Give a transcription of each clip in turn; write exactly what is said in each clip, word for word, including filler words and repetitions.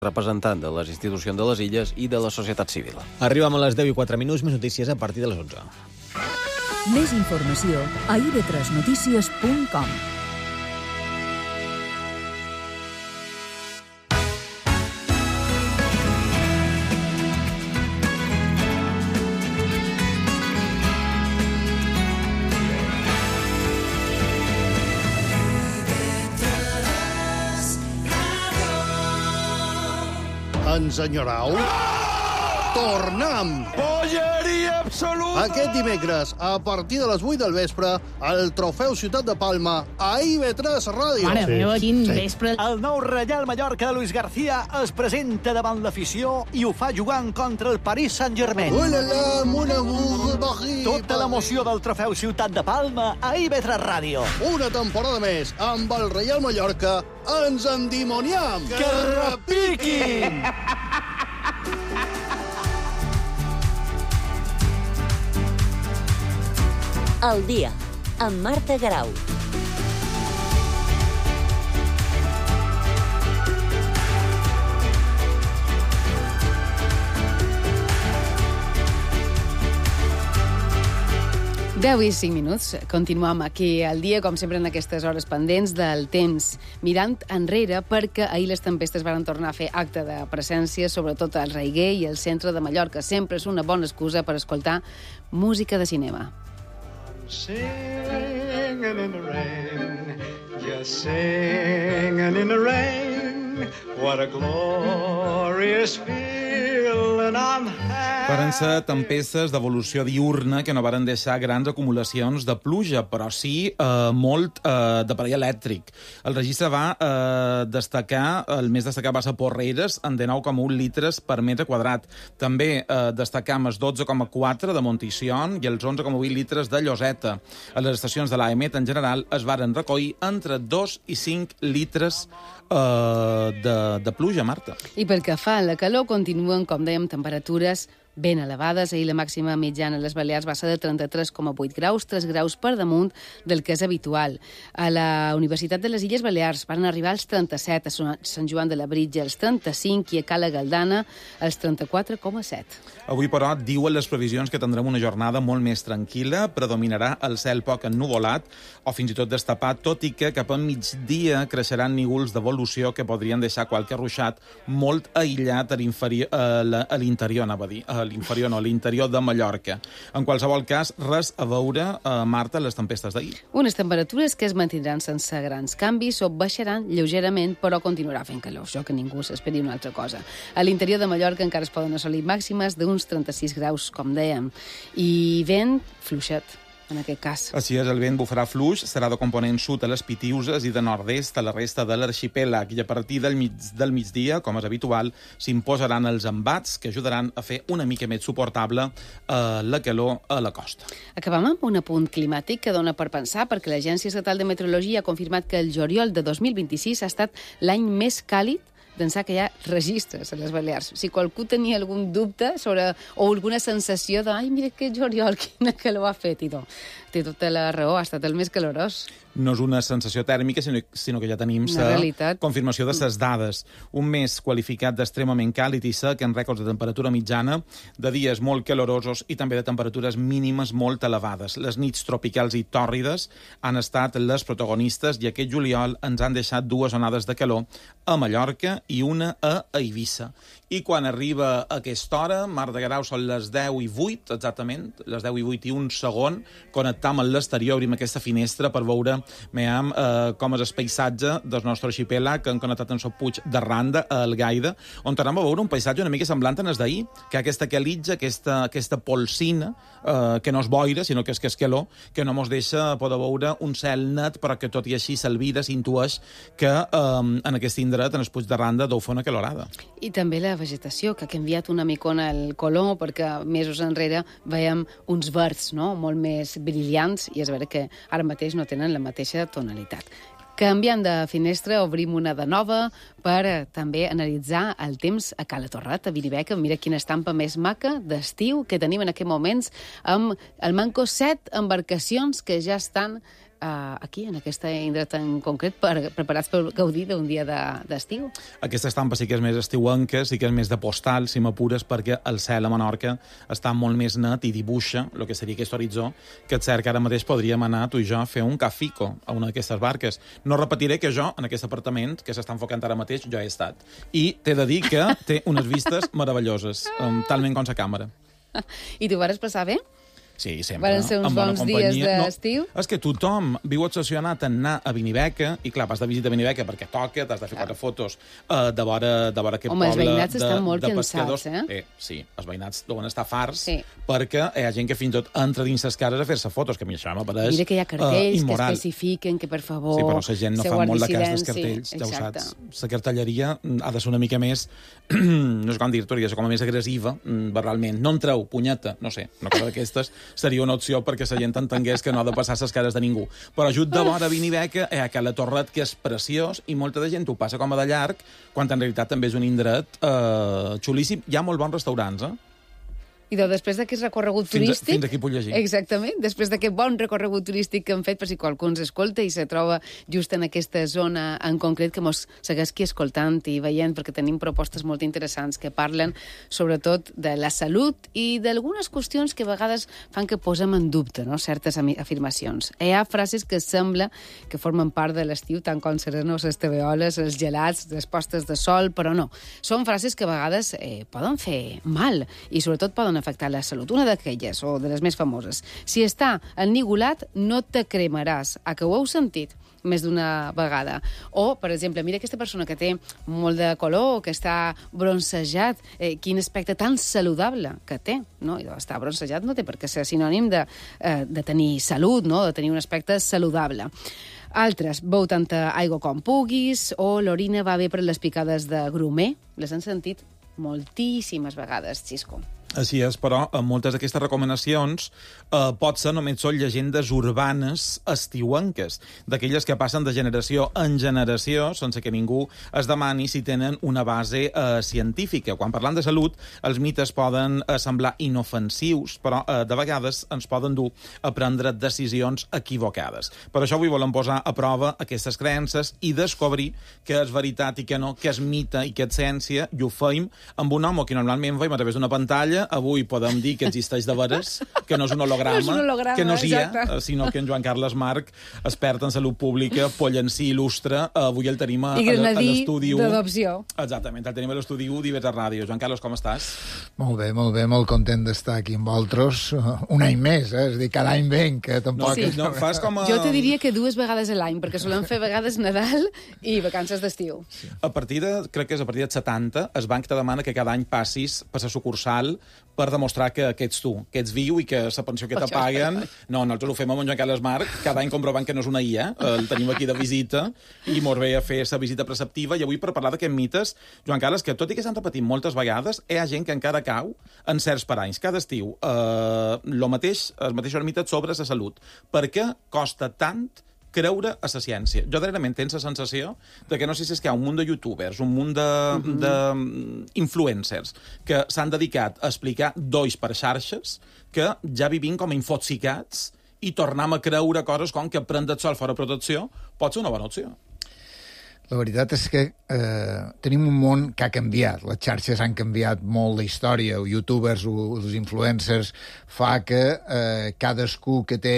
representant de les institucions de les illes i de la societat civil. Arribem a les deu i quatre minuts, més notícies a partir de les onze. Més informació a i ve tres notícies punt com. Ens enyorau? Tornem! Polleria absoluta! Aquest dimecres, a partir de les vuit del vespre, el Trofeu Ciutat de Palma a I ve tres Ràdio. Mare meva, quin vespre. El nou Reial Mallorca de Luis García es presenta davant l'afició i ho fa jugant contra el Paris Saint-Germain. Oh là là, mon amour, Paris. Tota l'emoció del Trofeu Ciutat de Palma a I ve tres Ràdio. Una temporada més, amb el Reial Mallorca, ens endimoniam! Que repiquin! El dia, amb Marta Garau. deu i cinc minuts. Continuem aquí al dia, com sempre, en aquestes hores pendents del temps, mirant enrere, perquè ahir les tempestes van tornar a fer acte de presència, sobretot al Raiguer i al centre de Mallorca. Sempre és una bona excusa per escoltar música de cinema. Singing in the rain, just singing in the rain, what a glorious feeling I'm having. Varen ser tempestes d'evolució diurna que no varen deixar grans acumulacions de pluja, però sí eh, molt eh, d'aparell elèctric. El registre va eh, destacar, el més destacat va ser Porreres, en dinou coma un litres per metre quadrat. També eh, destacam els dotze coma quatre de Montición i els onze coma vuit litres de Lloseta. A les estacions de l'A E M E T, en general, es varen recollir entre dos i cinc litres eh, de, de pluja, Marta. I pel que fa a la calor, continuen, com dèiem, temperatures ben elevades. Ahir la màxima mitjana a les Balears va ser de trenta-tres coma vuit graus, tres graus per damunt del que és habitual. A la Universitat de les Illes Balears van arribar als trenta-set, a Sant Joan de Labritja als trenta-cinc i a Cala Galdana als trenta-quatre coma set. Avui, però, diuen les previsions que tindrem una jornada molt més tranquil·la, predominarà el cel poc ennuvolat o fins i tot destapat, tot i que cap a migdia creixeran nígols d'evolució que podrien deixar qualque ruixat molt aïllat a l'interior, anava a dir, a l'inferior, no, a l'interior de Mallorca. En qualsevol cas, res a veure, eh, Marta, les tempestes d'ahir. Unes temperatures que es mantindran sense grans canvis o baixaran lleugerament, però continuarà fent calor. Això que ningú s'esperi una altra cosa. A l'interior de Mallorca encara es poden assolir màximes d'uns trenta-sis graus, com dèiem, i vent fluixet, en aquest cas. Així és, el vent bufarà fluix, serà de component sud a les Pitiuses i de nord-est a la resta de l'arxipèlag, i a partir del, mig, del migdia, com és habitual, s'imposaran els embats que ajudaran a fer una mica més suportable eh, la calor a la costa. Acabem amb un apunt climàtic que dona per pensar, perquè l'Agència Estatal de Meteorologia ha confirmat que el juliol de dos mil vint-i-sis ha estat l'any més càlid d'ençà que hi ha registres a les Balears. Si qualcú tenia algun dubte sobre, o alguna sensació de ai, mira que juliol, quina calor ha fet, i no, té tota la raó, ha estat el més calorós. No és una sensació tèrmica, sinó, sinó que ja tenim la confirmació de ses dades. Un mes qualificat d'extremament càlid i sec en rècords de temperatura mitjana, de dies molt calorosos i també de temperatures mínimes molt elevades. Les nits tropicals i tòrrides han estat les protagonistes i aquest juliol ens han deixat dues onades de calor a Mallorca i una a Eivissa. I quan arriba aquesta hora, Marta Garau, són les deu i vuit, exactament, les deu i vuit i un segon, connectam amb l'exterior, obrim aquesta finestra per veure veiem, eh, com és el paisatge del nostre arxipèlag, que han connectat en el Puig de Randa, a Algaida, on tornem a veure un paisatge una mica semblant en el d'ahir, que aquesta calitja, aquesta, aquesta polsina, eh, que no és boira, sinó que és que és calor, que no ens deixa poder veure un cel net, però que tot i així s'alvira, s'intueix que eh, en aquest indret, en el Puig de Randa, deu fer una calorada. I també la vegetació, que ha canviat una micona el color, perquè mesos enrere veiem uns verds, no?, molt més brillants, i és vera que ara mateix no tenen la mateixa tonalitat. Canviant de finestra, obrim una de nova per eh, també analitzar el temps a Cala Torrat, a Viribeca. Mira quina estampa més maca d'estiu que tenim en aquests moments, amb el manco set embarcacions que ja estan uh, aquí, en aquesta indret en concret, per, preparats per gaudir d'un dia d'estiu. De, Aquesta estampa sí que és més estiuenca, sí que és més de postal, si m'apures, perquè el cel a Menorca està molt més net i dibuixa el que seria aquest horitzó, que et cert que ara mateix podríem anar tu i jo a fer un cafico a una d'aquestes barques. No repetiré que jo, en aquest apartament, que s'està enfocant ara mateix, jo he estat. I t'he de dir que té unes vistes meravelloses, um, talment com sa càmera. I tu vas passar bé? Sí, sempre. Van ser uns bons dies d'estiu? No, és que tothom viu obsessionat en anar a Binibeca, i clar, vas de visita a Binibeca perquè toca, t'has de fer quatre fotos uh, de vora, de vora aquest Home, poble de, els veïnats estan molt de cansats, eh? eh? Sí, els veïnats deuen estar farts, sí. perquè hi ha gent que fins i tot entra dins les cases a fer-se fotos, que a mi això m'apareix Mira que hi ha cartells uh, que especifiquen que, per favor, sí, però la gent no fa molt de cas dels cartells, sí, ja ho saps. La cartelleria ha de ser una mica més, no sé com dir-t'ho, com a més agressiva, verbalment. No entreu, punyeta, no sé, una cosa d'aquestes seria una opció perquè la gent entengués que no ha de passar les cares de ningú. Però just de vora Binibeca hi ha aquella torret que és preciós i molta de gent ho passa com a de llarg, quan en realitat també és un indret eh, xulíssim. Hi ha molt bons restaurants, eh? I doncs, després d'aquest recorregut fins a, turístic... Fins aquí puc llegir. Exactament. Després d'aquest bon recorregut turístic que hem fet, per si qualcú ens escolta i se troba just en aquesta zona en concret, que mos segueix aquí escoltant i veient, perquè tenim propostes molt interessants que parlen sobretot de la salut i d'algunes qüestions que a vegades fan que posem en dubte, no?, certes afirmacions. Hi ha frases que sembla que formen part de l'estiu, tant com serenos, les tabeoles, els gelats, les postes de sol, però no. Són frases que a vegades eh, poden fer mal i sobretot poden afectar la salut. Una d'aquelles, o de les més famoses. Si està ennigolat, no te cremaràs. A que ho heu sentit més d'una vegada? O, per exemple, mira aquesta persona que té molt de color, que està bronzejat, eh, quin aspecte tan saludable que té, no? I estar bronzejat no té per què ser sinònim de, eh, de tenir salut, no?, de tenir un aspecte saludable. Altres, beu tanta aigua com puguis, o l'orina va bé per les picades de grumer. Les han sentit moltíssimes vegades, Xisco. Així és, però en moltes d'aquestes recomanacions eh, potser només són llegendes urbanes estiuenques, d'aquelles que passen de generació en generació sense que ningú es demani si tenen una base eh, científica. Quan parlant de salut, els mites poden eh, semblar inofensius, però eh, de vegades ens poden dur a prendre decisions equivocades. Per això avui volem posar a prova aquestes creences i descobrir què és veritat i què no, què és mite i què és ciència, i ho feim amb un home que normalment veiem a través d'una pantalla. Avui podem dir que existeix de veres, que no és un holograma, no és un holograma que no és I A, exacte. sinó que en Joan Carles Marc, expert en salut pública, pollencí il·lustre, avui el tenim a, I a l'estudi u. d'adopció. Exactament, el tenim a l'estudi u d'Ivetra Ràdio. Joan Carles, com estàs? Molt bé, molt bé, molt content d'estar aquí amb vosaltres un any més, eh? És a dir, cada any venc, que tampoc... No, sí. no, fas com a... Jo te diria que dues vegades a l'any, perquè solem fer vegades Nadal i vacances d'estiu. Sí. A partir de, crec que és a partir de setanta, el banc te demana que cada any passis per la sucursal per demostrar que, que ets tu, que ets viu i que la pensió que te paguen... No, nosaltres ho fem amb en Joan Carles Marc, cada any comprovant que no és una I A, el tenim aquí de visita, i mos ve a fer la visita preceptiva, i avui per parlar d'aquests mites, Joan Carles, que tot i que s'han repetit moltes vegades, hi ha gent que encara cau en certs paranys. Cada estiu, eh, lo mateix, els mateixos mites sobre la salut. Per què costa tant creure a la ciència? Jo darrerament tens la sensació de que no sé si és que hi ha un munt de youtubers, un munt de, uh-huh. de influencers que s'han dedicat a explicar dois per xarxes que ja vivim com a infoxicats i tornem a creure coses com que prendre el sol fora protecció pot ser una bona opció. La veritat és que eh, tenim un món que ha canviat. Les xarxes han canviat molt la història. Els youtubers, els influencers, fa que eh, cadascú que té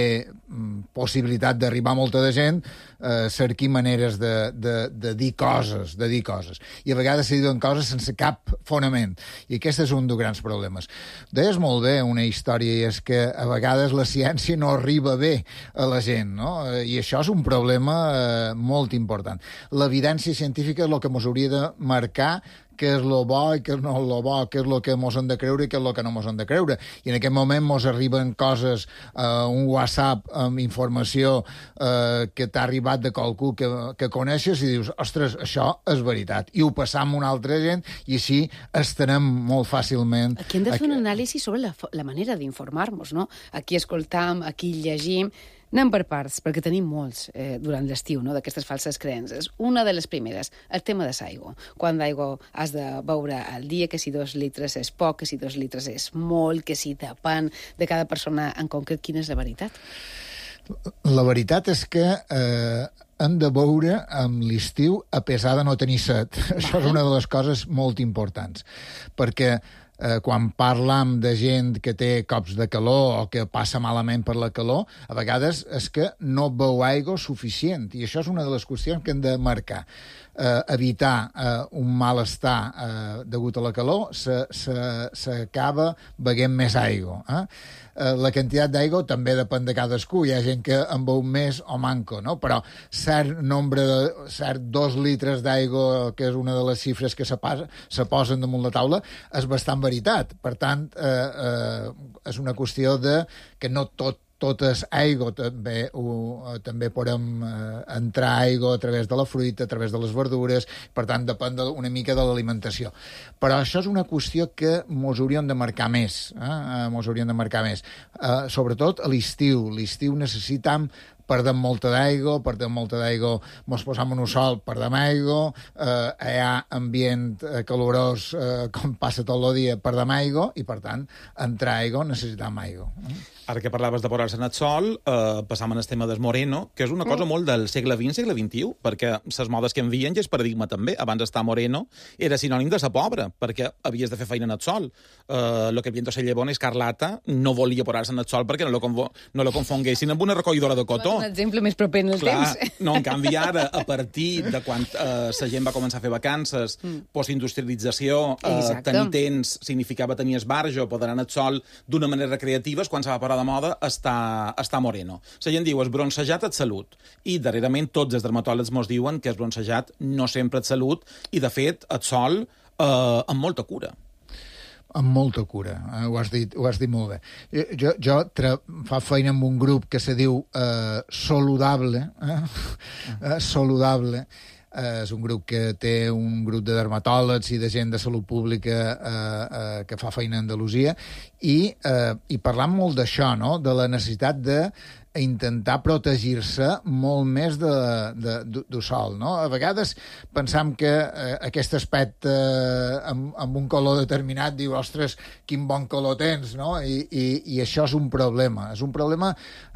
possibilitat d'arribar a molta de gent eh, cerqui maneres de, de, de dir coses, de dir coses. I a vegades se diuen coses sense cap fonament. I aquest és un dels grans problemes. Deies molt bé una història, i és que a vegades la ciència no arriba bé a la gent, no? I això és un problema eh, molt important. L'evidència científica és el que ens hauria de marcar què és el bo i què és no el bo, què és el que ens hem de creure i què és el que no ens hem de creure. I en aquest moment ens arriben coses, eh, un WhatsApp amb informació eh, que t'ha arribat de qualcú que, que coneixes i dius, ostres, això és veritat. I ho passam a una altra gent i així estarem molt fàcilment... Aquí hem de fer un anàlisi sobre la, la manera d'informar-nos, no? Aquí escoltam, aquí llegim... Anem per parts, perquè tenim molts eh, durant l'estiu, no?, d'aquestes falses creences. Una de les primeres, el tema de l'aigua. Quant d'aigua has de beure al dia, que si dos litres és poc, que si dos litres és molt, que si depèn de cada persona en concret, quina és la veritat? La veritat és que eh, hem de beure amb l'estiu a pesar de no tenir set. Això és una de les coses molt importants, perquè eh, quan parlam de gent que té cops de calor o que passa malament per la calor, a vegades és que no beu aigua suficient, i això és una de les qüestions que hem de marcar. Eh, evitar eh, un malestar eh, degut a la calor, s'acaba beguent més aigua. Eh? Eh, la quantitat d'aigua també depèn de cadascú. Hi ha gent que en beu més o manco, no? Però cert nombre de... cert dos litres d'aigua, que és una de les xifres que se, pas, se posen damunt la taula, és bastant veritat. Per tant, eh, eh, és una qüestió de que no tot tot és aigua, també, ho, també podem eh, entrar aigua a través de la fruita, a través de les verdures, per tant, depèn de, una mica de l'alimentació. Però això és una qüestió que mos hauríem de marcar més, eh? Mos hauríem de marcar més. Eh, sobretot a l'estiu. L'estiu necessitam perdem molta d'aigua, perdem molta d'aigua, mos posam en un sol, perdem aigua, eh, hi ha ambient calorós, eh, com passa tot el dia, perdem aigua, i per tant, entrar aigua necessitam aigua. Ara que parlaves de posar-se en el sol, eh, passam en el tema del moreno, que és una cosa molt del segle vint, segle vint-i-u, perquè les modes que envien i el paradigma també, abans d'estar moreno, era sinònim de ser pobre, perquè havies de fer feina en el sol. Eh, lo que el viento se llevó en Escarlata no volia posar-se en el sol perquè no lo, no lo confonguessin amb una recollidora de cotó. Un exemple més proper en el Clar, temps. No, en canvi ara, a partir de quan eh, la gent va començar a fer vacances, mm. postindustrialització, eh, tenir temps significava tenir esbarjo, poder anar al sol d'una manera recreativa, quan se va parar de moda està, està moreno. La gent diu, és bronzejat et salut. I darrerament tots els dermatòlegs mos diuen que és bronzejat no sempre et salut, i de fet el sol eh, amb molta cura. Amb molta cura, eh? ho, has dit, ho has dit molt bé. Jo, jo tra... fa feina amb un grup que se diu eh, Soludable, eh? eh, Soludable, eh, és un grup que té un grup de dermatòlegs i de gent de salut pública eh, eh, que fa feina a Andalusia, i, eh, i parlant molt d'això, no? De la necessitat de intentar protegir-se molt més de, de, de, de sol, no? A vegades pensam que eh, aquest aspecte eh, amb, amb un color determinat diu, ostres, quin bon color tens, no? I, i, i això és un problema. És un problema,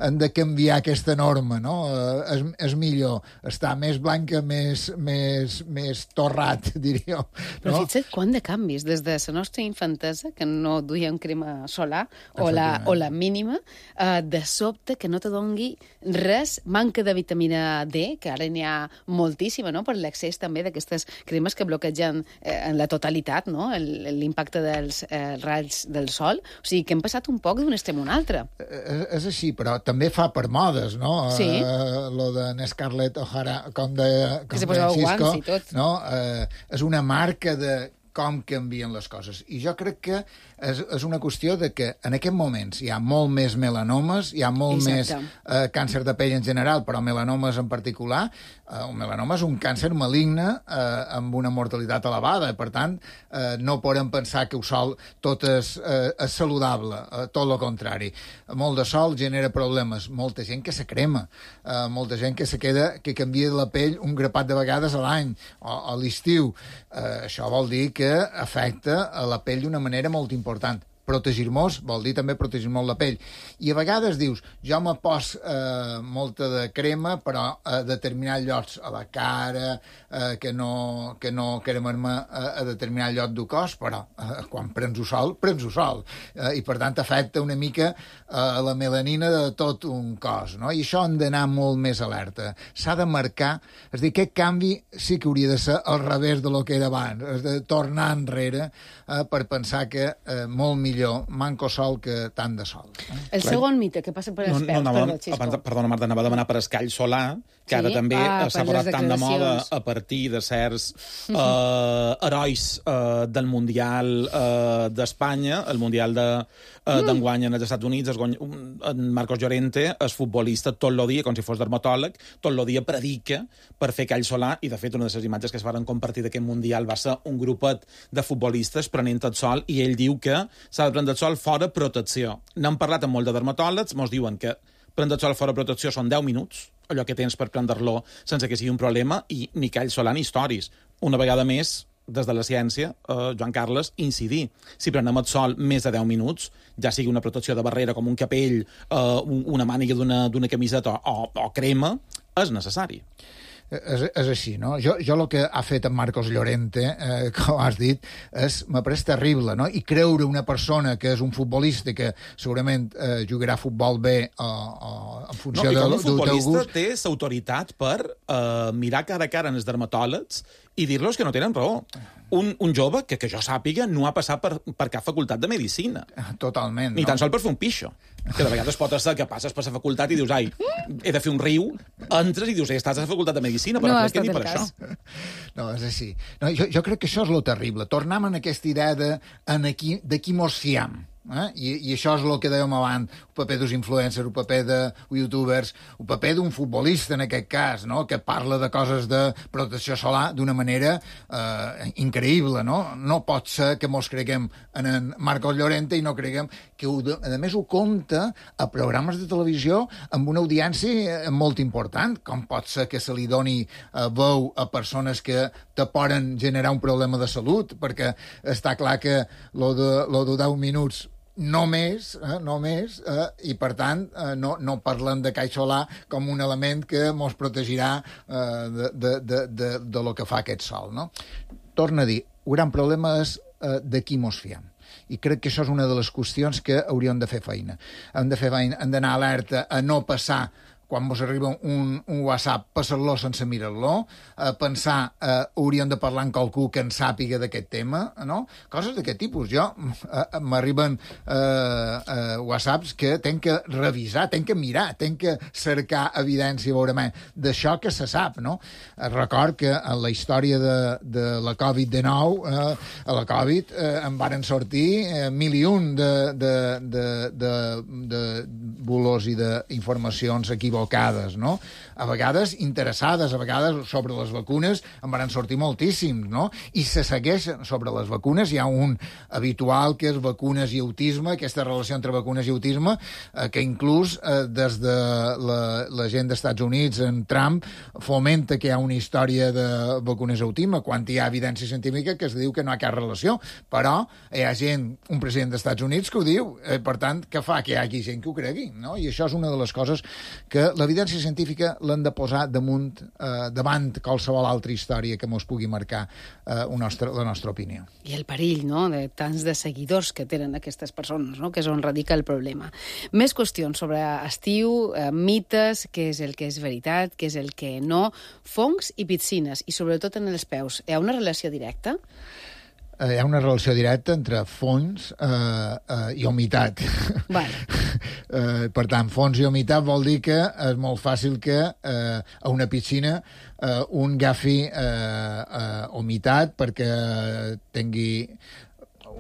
hem de canviar aquesta norma, no? Eh, és, és millor estar més blanca, més, més, més torrat, diríem. No? Però fixa't quant de canvis, des de la nostra infantesa, que no duíem crema solar, o la, o la mínima, eh, de sobte que no te dongui res, manca de vitamina D, que ara n'hi ha moltíssima, no?, per l'accés també d'aquestes cremes que bloquegen eh, en la totalitat, no?, l'impacte dels eh, raigs del sol. O sigui, que hem passat un poc d'un extrem a un altre. És, és així, però també fa per modes, no? Sí. Uh, lo de Scarlett O'Hara, com de, com que se posava Cisco, guants i tot. No? Uh, és una marca de com canvien les coses. I jo crec que és, és una qüestió de que en aquests moments hi ha molt més melanomes, hi ha molt Exacte. més eh, càncer de pell en general, però melanomes en particular. Eh, un melanoma és un càncer maligne eh, amb una mortalitat elevada. Per tant, eh, no podem pensar que el sol tot és, eh, és saludable, eh, tot el contrari. Molt de sol genera problemes. Molta gent que se crema, eh, molta gent que se queda, que canvia la pell un grapat de vegades a l'any o a l'estiu. Eh, això vol dir que afecta a la pell d'una manera molt important. Protegir-nos vol dir també protegir molt la pell. I a vegades dius, jo me pos eh, molta de crema, però a determinats llocs, a la cara, eh, que no, que no cremar-me a, a determinat lloc del cos, però eh, quan prens el sol, prens el sol. Eh, I per tant afecta una mica eh, la melanina de tot un cos, no? I això hem d'anar molt més alerta. S'ha de marcar, és a dir, aquest canvi sí que hauria de ser al revés de lo que era abans, és de tornar enrere eh, per pensar que eh, molt millor manco sol que tant de sol. Eh? El Clar. segon mite, que passa per els no, peus, no, perdó, Xisco. Abans, perdona, Marta, anava a demanar per escall solar, que sí? ara també ah, s'ha posat tant de moda a partir de certs uh, herois uh, del Mundial uh, d'Espanya, el Mundial de, uh, d'enguany en els Estats Units, es gony... en Marcos Llorente és futbolista tot el dia, com si fos dermatòleg, tot el dia predica per fer call solar, i de fet una de les imatges que es van compartir d'aquest Mundial va ser un grupet de futbolistes prenent el sol, i ell diu que s'ha de prendre el sol fora protecció. N'hem parlat amb molt de dermatòlegs, mos diuen que prendre el sol fora protecció són deu minuts, allò que tens per prendre-lo sense que sigui un problema, i ni call solar ni històries. Una vegada més, des de la ciència, eh, Joan Carles, incidir. Si prenem el sol més de deu minuts, ja sigui una protecció de barrera com un capell, eh, una màniga d'una camiseta o, o crema, és necessari. És, és així, no? Jo, jo el que ha fet en Marcos Llorente, eh, com has dit, és, m'ha pres terrible, no? I creure una persona que és un futbolista que segurament eh, jugarà a futbol bé o, o en funció no, del teu gust... I com un futbolista té l'autoritat per eh, mirar cara a cara en els dermatòlegs i dir-los que no tenen raó. Un, un jove que, que jo sàpiga, no ha passat per, per cap facultat de medicina. Totalment, Ni no? tan sol per fer un pixo. Que de vegades pot ser que passes per la facultat i dius, ai, he de fer un riu, entres i dius, ei, estàs a la facultat de medicina, però no no per cas. això. No, és així. No, jo, jo crec que això és lo terrible. Tornem en aquesta idea de, en aquí, de qui mos fiam. Eh? I, I això és el que dèiem abans, el paper dels influencers, el paper de youtubers, el paper d'un futbolista, en aquest cas, no? Que parla de coses de protecció solar d'una manera eh, increïble, no? No pot ser que mos creguem en en Marcos Llorente i no creguem que, ho, a més, ho compta a programes de televisió amb una audiència molt important, com pot ser que se li doni eh, veu a persones que te poden generar un problema de salut, perquè està clar que lo de, lo de deu minuts no més, eh, no més, eh, i per tant eh, no, no parlen de caixa solar com un element que mos protegirà eh, de, de, de, de, de lo que fa aquest sol, no? Torna a dir, el gran problema és eh, de qui mos fiem. I crec que això és una de les qüestions que hauríem de fer feina. Hem de fer feina, hem d'anar alerta a no passar quan mos arriba un, un WhatsApp, passar-lo sense mirar-lo, eh, pensar, eh, hauríem de parlar amb qualcú que en sàpiga d'aquest tema, no? Coses d'aquest tipus. Jo, eh, m'arriben eh, eh, WhatsApps que tenc que revisar, tenc que mirar, tenc que cercar evidència, veurement, d'això que se sap, no? Eh, record que en la història de, de la covid dinou, eh, a la Covid, eh, en varen sortir eh, mil i un de, de, de, de, de bulos i d'informacions equivocades equivocades, no? A vegades interessades, a vegades sobre les vacunes en van sortir moltíssims, no? I se segueix sobre les vacunes, hi ha un habitual que és vacunes i autisme, aquesta relació entre vacunes i autisme, eh, que inclús eh, des de la, la gent dels Estats Units, en Trump, fomenta que hi ha una història de vacunes i autisme, quan hi ha evidència científica que es diu que no hi ha cap relació, però hi ha gent, un president dels Estats Units que ho diu, eh, per tant, què fa? Que hi hagi gent que ho cregui, no? I això és una de les coses que l'evidència científica l'han de posar damunt, eh, davant qualsevol altra història que mos pugui marcar eh, un nostre, la nostra opinió. I el perill, no?, de tants de seguidors que tenen aquestes persones, no?, que és on radica el problema. Més qüestions sobre estiu, eh, mites, què és el que és veritat, què és el que no, fongs i piscines, i sobretot en els peus. Hi ha una relació directa? Eh, hi ha una relació directa entre fons eh, eh, i humitat. Vale. eh, per tant, fons i humitat vol dir que és molt fàcil que eh, a una piscina eh, un agafi eh, eh, humitat perquè tingui...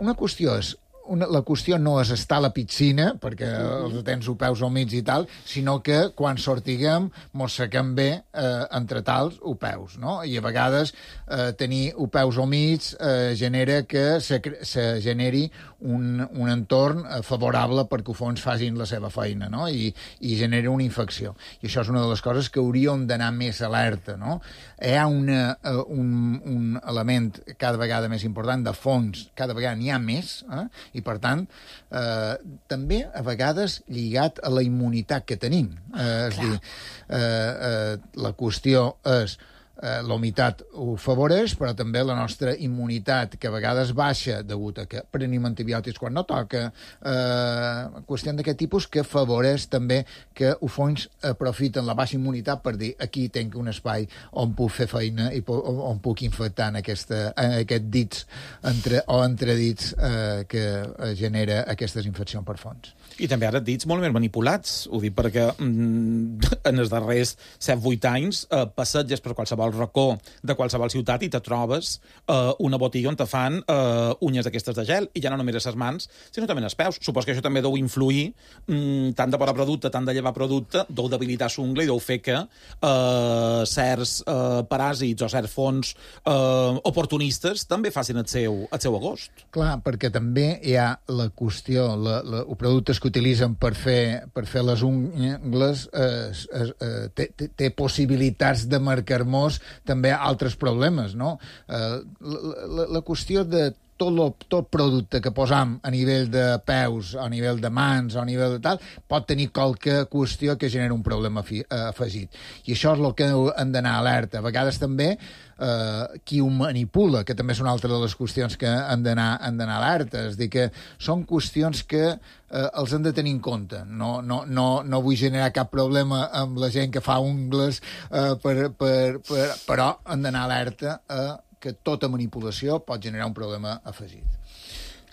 Una qüestió és Una, la qüestió no és estar a la piscina, perquè els tens els peus humits i tal, sinó que quan sortiguem mos sequem bé eh, entre tals els peus, no? I a vegades eh, tenir els peus humits eh, genera que se, se generi un, un entorn eh, favorable perquè els fons facin la seva feina, no? I, i genera una infecció. I això és una de les coses que hauríem d'anar més alerta, no? Hi ha una, uh, un, un element cada vegada més important de fons, cada vegada n'hi ha més, eh? I, per tant, eh, també a vegades lligat a la immunitat que tenim. Eh, és dir, eh, eh, la qüestió és eh, la humitat ho afavoreix, però també la nostra immunitat, que a vegades baixa degut a que prenim antibiòtics quan no toca, eh, qüestió d'aquest tipus que afavoreix també que els fons aprofiten la baixa immunitat per dir aquí tinc un espai on puc fer feina i on puc infectar en, aquesta, en aquest dits entre, o entre dits eh, que genera aquestes infeccions per fons. I també ara dits molt més manipulats. Ho dic perquè mm, en els darrers set vuit anys eh, passeges per qualsevol racó de qualsevol ciutat i te trobes eh, una botiga on te fan eh, unyes d'aquestes de gel, i ja no només a les mans, sinó també als peus. Supos que això també deu influir mm, tant de posar producte, tant de llevar producte, deu debilitar l'ungla i deu fer que eh, certs eh, paràsits o certs fons eh, oportunistes també facin el seu, el seu agost. Clar, perquè també hi ha la qüestió, la, la, els productes que utilitzen per fer, per fer les ungles eh, eh, té, té possibilitats de marcar-nos inclòs també altres problemes, no? Eh, la, la, la qüestió de tot, lo, tot producte que posam a nivell de peus, a nivell de mans, a nivell de tal, pot tenir qualque qüestió que genera un problema fi, eh, afegit. I això és el que hem d'anar alerta. A vegades també eh, qui ho manipula, que també és una altra de les qüestions que han d'anar han d'anar alerta. És a dir, que són qüestions que eh, els hem de tenir en compte. No, no, no, no vull generar cap problema amb la gent que fa ungles, eh, per, per, per, però hem d'anar alerta a eh, que tota manipulació pot generar un problema afegit.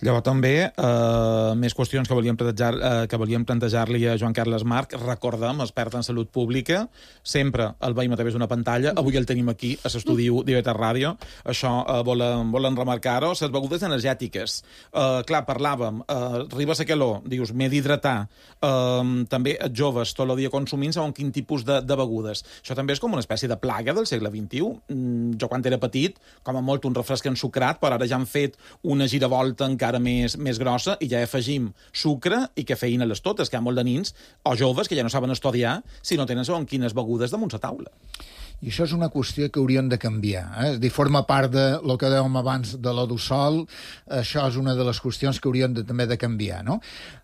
Llavors també, eh, més qüestions que volíem plantejar, eh, que volíem plantejar-li a Joan Carles Marc. Recordem, expert en salut pública, sempre el veiem a través d'una pantalla, avui el tenim aquí, a l'estudi d'I V tres Ràdio, això eh, volen, volen remarcar-ho. Les begudes energètiques, eh, clar, parlàvem, eh, arriba la calor, dius, m'he d'hidratar, eh, també joves tot el dia consumint segons quin tipus de, de begudes. Això també és com una espècie de plaga del segle vint-i-u. Mm, jo quan era petit, com a molt un refresc ensucrat, però ara ja han fet una giravolta encara més, més grossa i ja afegim sucre i cafeïna a les totes, que hi ha molt de nins o joves que ja no saben estudiar si no tenen segons quines begudes damunt la taula. I això és una qüestió que hauríem de canviar. Eh? És a dir, forma part de lo que dèiem abans de l'adosol, això és una de les qüestions que hauríem de, també de canviar, no?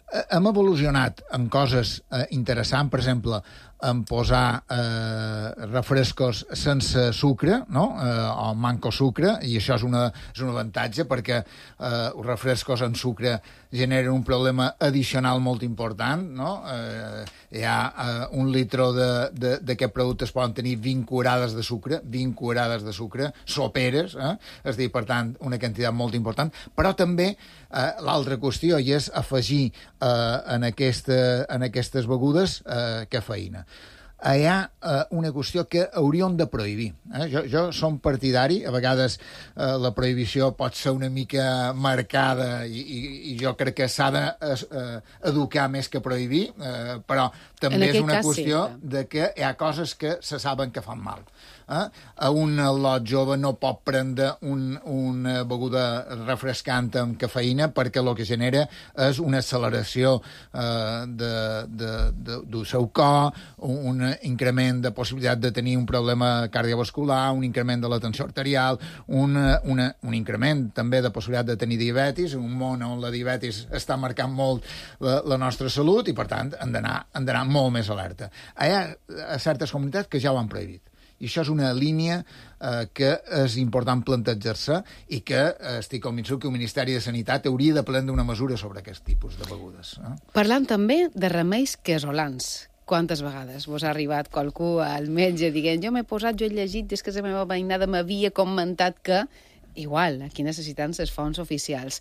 Hem evolucionat en coses eh, interessants, per exemple, en posar eh, refrescos sense sucre, no? eh, o manco sucre, i això és, una, és un avantatge perquè eh, els refrescos en sucre generen un problema addicional molt important, no? Eh, hi ha eh, un litre d'aquest producte es poden tenir vint curades de sucre, vint curades de sucre, soperes, eh? és a dir, per tant, una quantitat molt important, però també eh, l'altra qüestió i és afegir eh, en, aquesta, en aquestes begudes eh, cafeïna. Hi ha eh, una qüestió que hauríem de prohibir. Eh? Jo, jo som partidari, a vegades eh, la prohibició pot ser una mica marcada i, i, i jo crec que s'ha d'educar eh, més que prohibir, eh, però també és una qüestió sí, de que hi ha coses que se saben que fan mal. Eh? A un lot jove no pot prendre un, una beguda refrescant amb cafeïna perquè el que genera és una acceleració eh, de, de, de, del seu cor, un increment de possibilitat de tenir un problema cardiovascular, un increment de la tensió arterial, una, una, un increment també de possibilitat de tenir diabetis, un món on la diabetis està marcant molt la, la nostra salut i, per tant, han d'anar molt més alerta. Hi ha certes comunitats que ja ho han prohibit. I això és una línia eh, que és important plantejar-se i que eh, estic convençut que el Ministeri de Sanitat hauria de prendre una mesura sobre aquest tipus de begudes. Eh? Parlant també de remeis casolans. Quantes vegades vos ha arribat qualcú al metge dient jo m'he posat, jo he llegit, des que la meva veïnada m'havia comentat que... Igual, aquí necessitem les fonts oficials.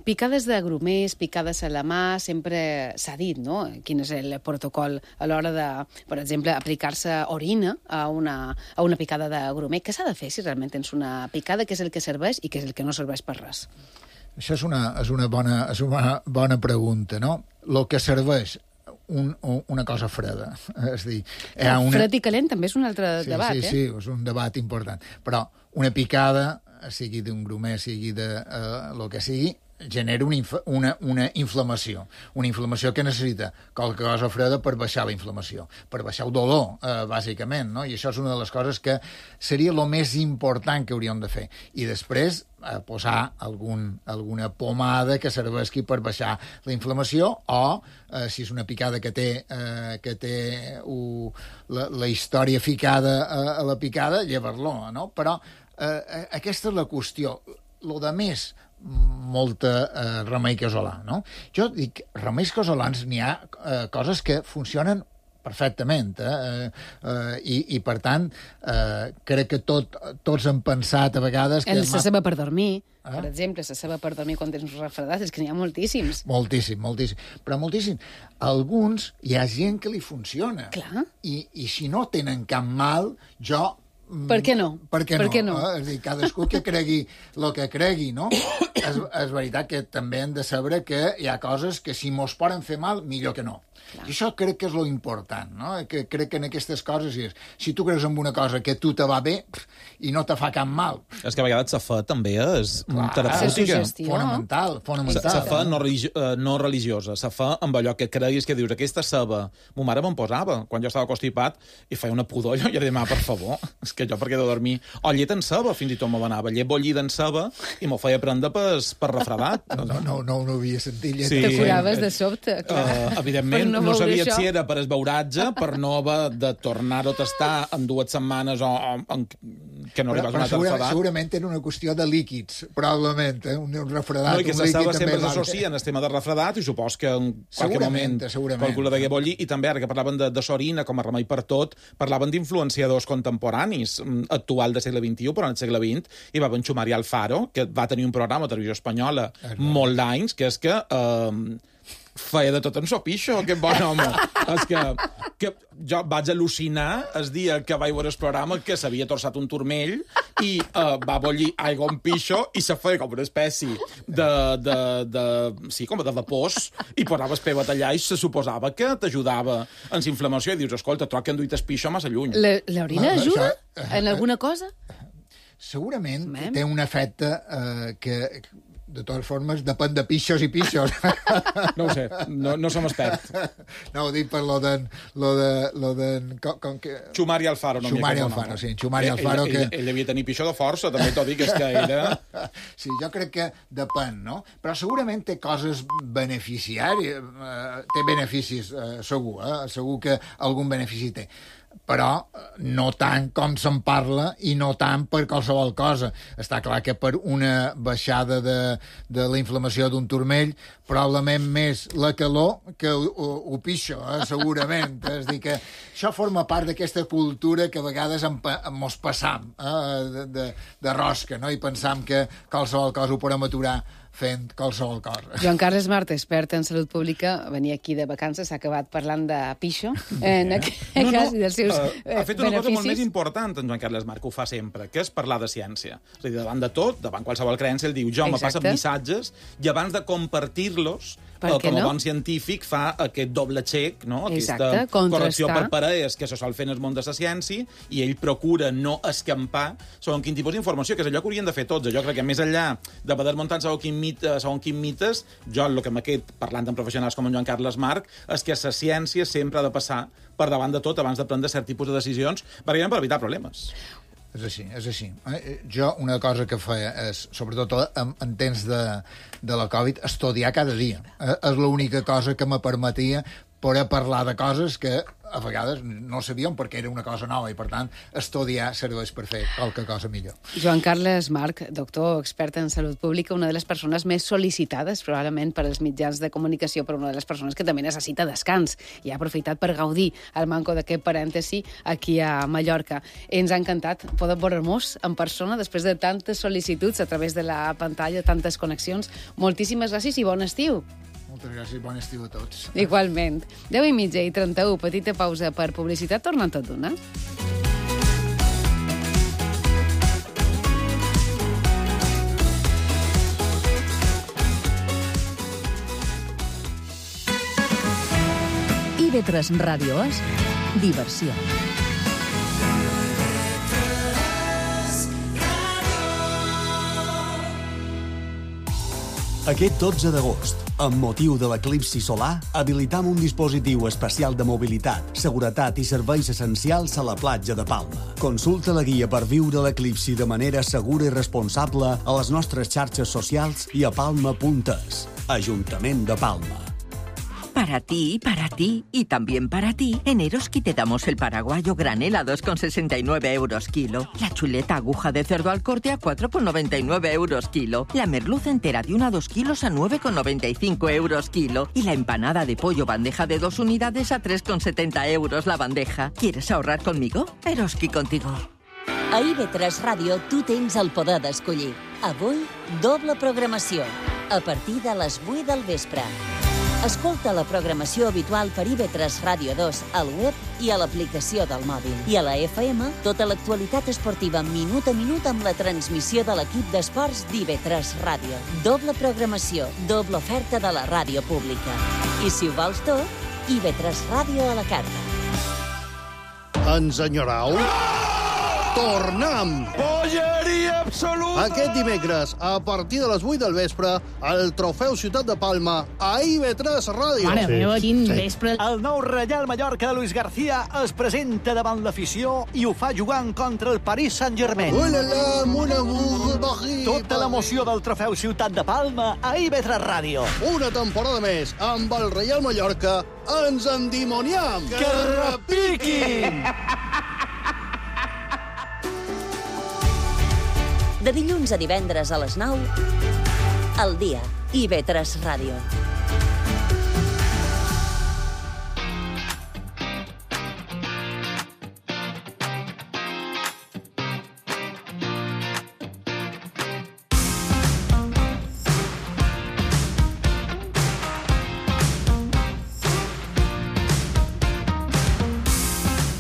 Picades de grumers, picades a la mà, sempre s'ha dit, no?, quin és el protocol a l'hora de, per exemple, aplicar-se orina a una, a una picada de grumer. Què s'ha de fer si realment tens una picada? Què és el que serveix i què és el que no serveix per res? Això és una, és una, bona, és una bona pregunta, no? El que serveix... Un, una cosa freda. És dir, una... Fred i calent també és un altre sí, debat, sí, eh? Sí, és un debat important. Però una picada, sigui d'un grumer, sigui de eh, lo que sigui, genera una, inf una, una inflamació. Una inflamació que necessita qualque cosa freda per baixar la inflamació, per baixar el dolor, eh, bàsicament, no? I això és una de les coses que seria el més important que hauríem de fer. I després eh, posar algun, alguna pomada que serveixi per baixar la inflamació o, eh, si és una picada que té, eh, que té uh, la, la història ficada a, a la picada, llevar-lo, no? Però eh, aquesta és la qüestió. Lo de més, molta eh, remei casolà, no? Jo dic, remeis casolans n'hi ha eh, coses que funcionen perfectament, eh? Eh, i, i per tant eh, crec que tot, tots hem pensat a vegades... El se ceba per dormir, eh? Per exemple, se ceba per dormir quan tens refredats, és que n'hi ha moltíssims. Moltíssim, moltíssim, però moltíssim. Alguns hi ha gent que li funciona. Clar. I, i si no tenen cap mal, jo... Per què no? Per què per no? Què no? Eh? És a dir, cadascú que cregui el que cregui, no? és, és veritat que també hem de saber que hi ha coses que si mos poden fer mal, millor que no. I això crec que és lo important, no? Que crec que en aquestes coses és, si tu creus en una cosa que a tu te va bé i no te fa cap mal... És que a vegades la fe també és Clar, terapèutica. Fonamental, fonamental. La fe no, religi no religiosa, la fe amb allò que creguis que dius, aquesta ceba, ma mare me'n posava quan jo estava constipat i feia una pudor, jo ja demà, per favor, és que jo perquè he de dormir... O llet en ceba, fins i tot me venava, llet bullida en ceba i m'ho feia prendre per, per refredat. No, no, no, no, no havia sentit llet. Sí. Te curaves de sobte, clar. Uh, evidentment, no, no sabia això. Si era per esbeuratge, per no haver de tornar-ho a tastar en dues setmanes o, o en, que no arribés una segura, refredat. Segurament era una qüestió de líquids, probablement, eh? un, un refredat, no, i que un líquid també... sempre s'associa en el tema de refredat i supos que en qualque moment qualcú la degué bollir. I també, ara que parlaven de, de sorina com a remei per tot, parlaven d'influenciadors contemporanis, actual del segle vint-i-u, però en el segle vint, i va haver en Xumari Alfaro, que va tenir un programa a Televisió Espanyola molt d'anys, que és que... Eh, feia de tot en sopixo, aquest bon home. És que, que jo vaig al·lucinar el dia que vaig veure el programa que s'havia torçat un turmell i uh, va bollir aigua en pixo i se feia com una espècie de, de, de, sí, com de vapors i posaves peba allà i se suposava que t'ajudava en la inflamació i dius, escolta, troc que han duit el pixo massa lluny. L'orina ajuda en alguna cosa? Segurament té un efecte eh, que... De totes formes, depèn de pixos i pixos. No ho sé, no, no som experts. No, ho dic per lo de... Lo de, lo de com, com que... Xumari Alfaro. No Xumari Alfaro, sí. Xumari Alfaro, ell, que... Ell, ell devia tenir pixó de força, també t'ho dic, és que era... Sí, jo crec que depèn, no? Però segurament té coses beneficiàries, eh, té beneficis, eh, segur, eh? Segur que algun benefici té. Però no tant com se'n parla i no tant per qualsevol cosa. Està clar que per una baixada de, de la inflamació d'un turmell, probablement més la calor que ho pixo, eh, segurament. És a dir, que això forma part d'aquesta cultura que a vegades mos passam, eh, de, de, de rosca, no? I pensam que qualsevol cosa ho podem aturar fent qualsevol cosa. Joan Carles Mart, expert en salut pública, venia aquí de vacances, s'ha acabat parlant de pixo, en aquest no, no, cas, i dels seus uh, ha fet una beneficis. Cosa molt més important, en Joan Carles Mart, que ho fa sempre, que és parlar de ciència. És a dir, davant de tot, davant qualsevol creença, ell diu, jo me passa missatges, i abans de compartir-los, el, com a no? bon científic fa aquest doble xec, no? Exacte, aquesta correcció contrastar. per parelles que se sol fer en el món de la ciència, i ell procura no escampar sobre quin tipus d'informació, que és allò que haurien de fer tots. Jo crec que més enllà de poder muntar segons quin mite, segons quin mites, jo el que m'aquest, parlant amb professionals com en Joan Carles Marc, és que la ciència sempre ha de passar per davant de tot abans de prendre cert tipus de decisions, per evitar problemes. És així, és així. Jo una cosa que feia és, sobretot en, en temps de, de la Covid, estudiar cada dia. És l'única cosa que me permetia poder parlar de coses que a vegades no sabíem perquè era una cosa nova i, per tant, estudiar serveix per fer qualque cosa millor. Joan Carles Marc, doctor expert en salut pública, una de les persones més sol·licitades probablement per als mitjans de comunicació, però una de les persones que també necessita descans i ha aprofitat per gaudir el manco d'aquest parèntesi aquí a Mallorca. Ens ha encantat poder veure-nos en persona després de tantes sol·licituds a través de la pantalla, tantes connexions. Moltíssimes gràcies i bon estiu. Moltes gràcies, bon estiu a tots. Igualment. deu i mitja i trenta-u, petita pausa per publicitat, tornen tot d'una. I ve tres Ràdio és diversió. Aquest dotze d'agost, amb motiu de l'eclipsi solar, habilitam un dispositiu especial de mobilitat, seguretat i serveis essencials a la platja de Palma. Consulta la guia per viure l'eclipsi de manera segura i responsable a les nostres xarxes socials i a palma punt es. Ajuntament de Palma. Para ti, para ti y también para ti, en Eroski te damos el paraguayo granel a dos con sesenta y nueve euros kilo, la chuleta aguja de cerdo al corte a cuatro con noventa y nueve euros kilo, la merluza entera de una a dos kilos a nueve con noventa y cinco euros kilo y la empanada de pollo bandeja de dos unidades a tres con setenta euros la bandeja. ¿Quieres ahorrar conmigo? Eroski contigo. A I V tres Ràdio tu tens el poder d'escollir. Avui, doble programació, a partir de les vuit del vespre. Escolta la programació habitual per I V tres Ràdio dos al web i a l'aplicació del mòbil. I a la F M, tota l'actualitat esportiva minut a minut amb la transmissió de l'equip d'esports d'I V tres Ràdio. Doble programació, doble oferta de la ràdio pública. I si ho vols tot, I V tres Ràdio a la carta. Ens enyorau? Tornem! Polleria absoluta! Aquest dimecres, a partir de les vuit del vespre, el Trofeu Ciutat de Palma a I V tres Ràdio. Mare meva, quin vespre. El nou Reial Mallorca de Luis García es presenta davant l'afició i ho fa jugant contra el Paris Saint-Germain. Oh là là, mon amour, Paris. Tota l'emoció del Trofeu Ciutat de Palma a I V tres Ràdio. Una temporada més amb el Reial Mallorca. Ens endimoniam! Que repiquin! De dilluns a divendres a les nou, al dia, I V tres Ràdio.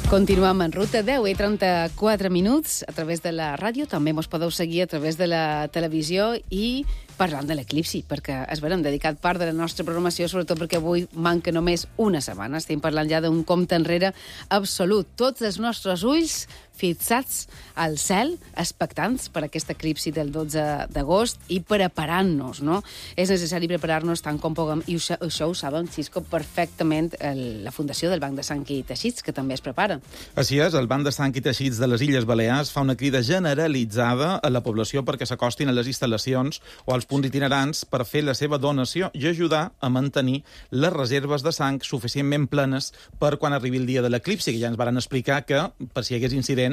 Continuem en ruta, deu i trenta-quatre minuts a través de la ràdio. També mos podeu seguir a través de la televisió i parlant de l'eclipsi, perquè es veure, hem dedicat part de la nostra programació, sobretot perquè avui manca només una setmana. Estem parlant ja d'un compte enrere absolut. Tots els nostres ulls fixats al cel, expectants per aquesta eclipsi del dotze d'agost i preparant-nos, no? És necessari preparar-nos tant com puguem, i això, això ho saben, Xisco, perfectament el, la Fundació del Banc de Sang i Teixits, que també es prepara. Així és, el Banc de Sang i Teixits de les Illes Balears fa una crida generalitzada a la població perquè s'acostin a les instal·lacions o als punts itinerants per fer la seva donació i ajudar a mantenir les reserves de sang suficientment plenes per quan arribi el dia de l'eclipsi, que ja ens van explicar que, per si hi hagués incidents,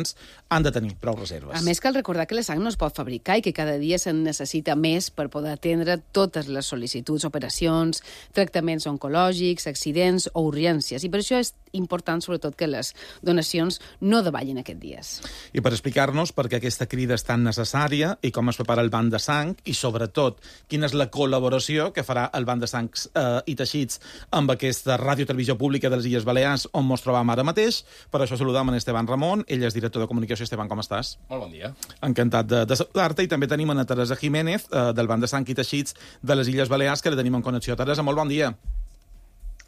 han de tenir prou reserves. A més, cal recordar que la sang no es pot fabricar i que cada dia se'n necessita més per poder atendre totes les sol·licituds, operacions, tractaments oncològics, accidents o urgències. I per això és important, sobretot, que les donacions no davallin aquests dies. I per explicar-nos per què aquesta crida és tan necessària i com es prepara el Banc de Sang i, sobretot, quina és la col·laboració que farà el Banc de Sang eh, i Teixits amb aquesta ràdio-televisió pública de les Illes Balears on mos trobam ara mateix. Per això saludam en Esteban Ramon, ell és director de comunicació. Esteban, com estàs? Molt bon dia. Encantat de, de saludar-te. I també tenim a Teresa Jiménez, eh, del Banc de Sang i Teixits de les Illes Balears, que la tenim en connexió. Teresa, molt bon dia.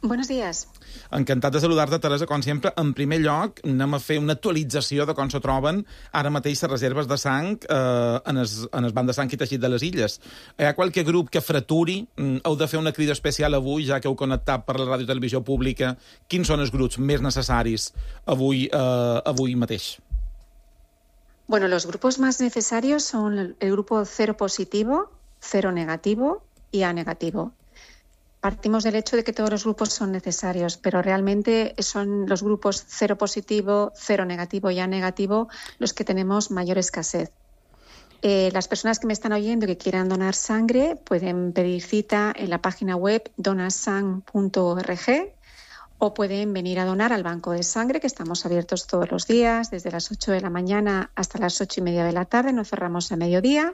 Buenos días. Encantat de saludar-te, Teresa, com sempre. En primer lloc, anem a fer una actualització de com se troben ara mateix les reserves de sang eh, en, el, en el Banc de Sang i Teixit de les Illes. Hi ha qualque grup que fraturi? Heu de fer una crida especial avui, ja que heu connectat per la ràdio i televisió pública. Quins són els grups més necessaris avui, eh, avui mateix? Bueno, los grupos más necesarios son el grupo cero positivo, cero negativo y A negativo. Partimos del hecho de que todos los grupos son necesarios, pero realmente son los grupos cero positivo, cero negativo y A negativo los que tenemos mayor escasez. Eh, las personas que me están oyendo y que quieran donar sangre pueden pedir cita en la página web donasang punto org o pueden venir a donar al banco de sangre, que estamos abiertos todos los días, desde las ocho de la mañana hasta las ocho y media de la tarde, nos cerramos a mediodía,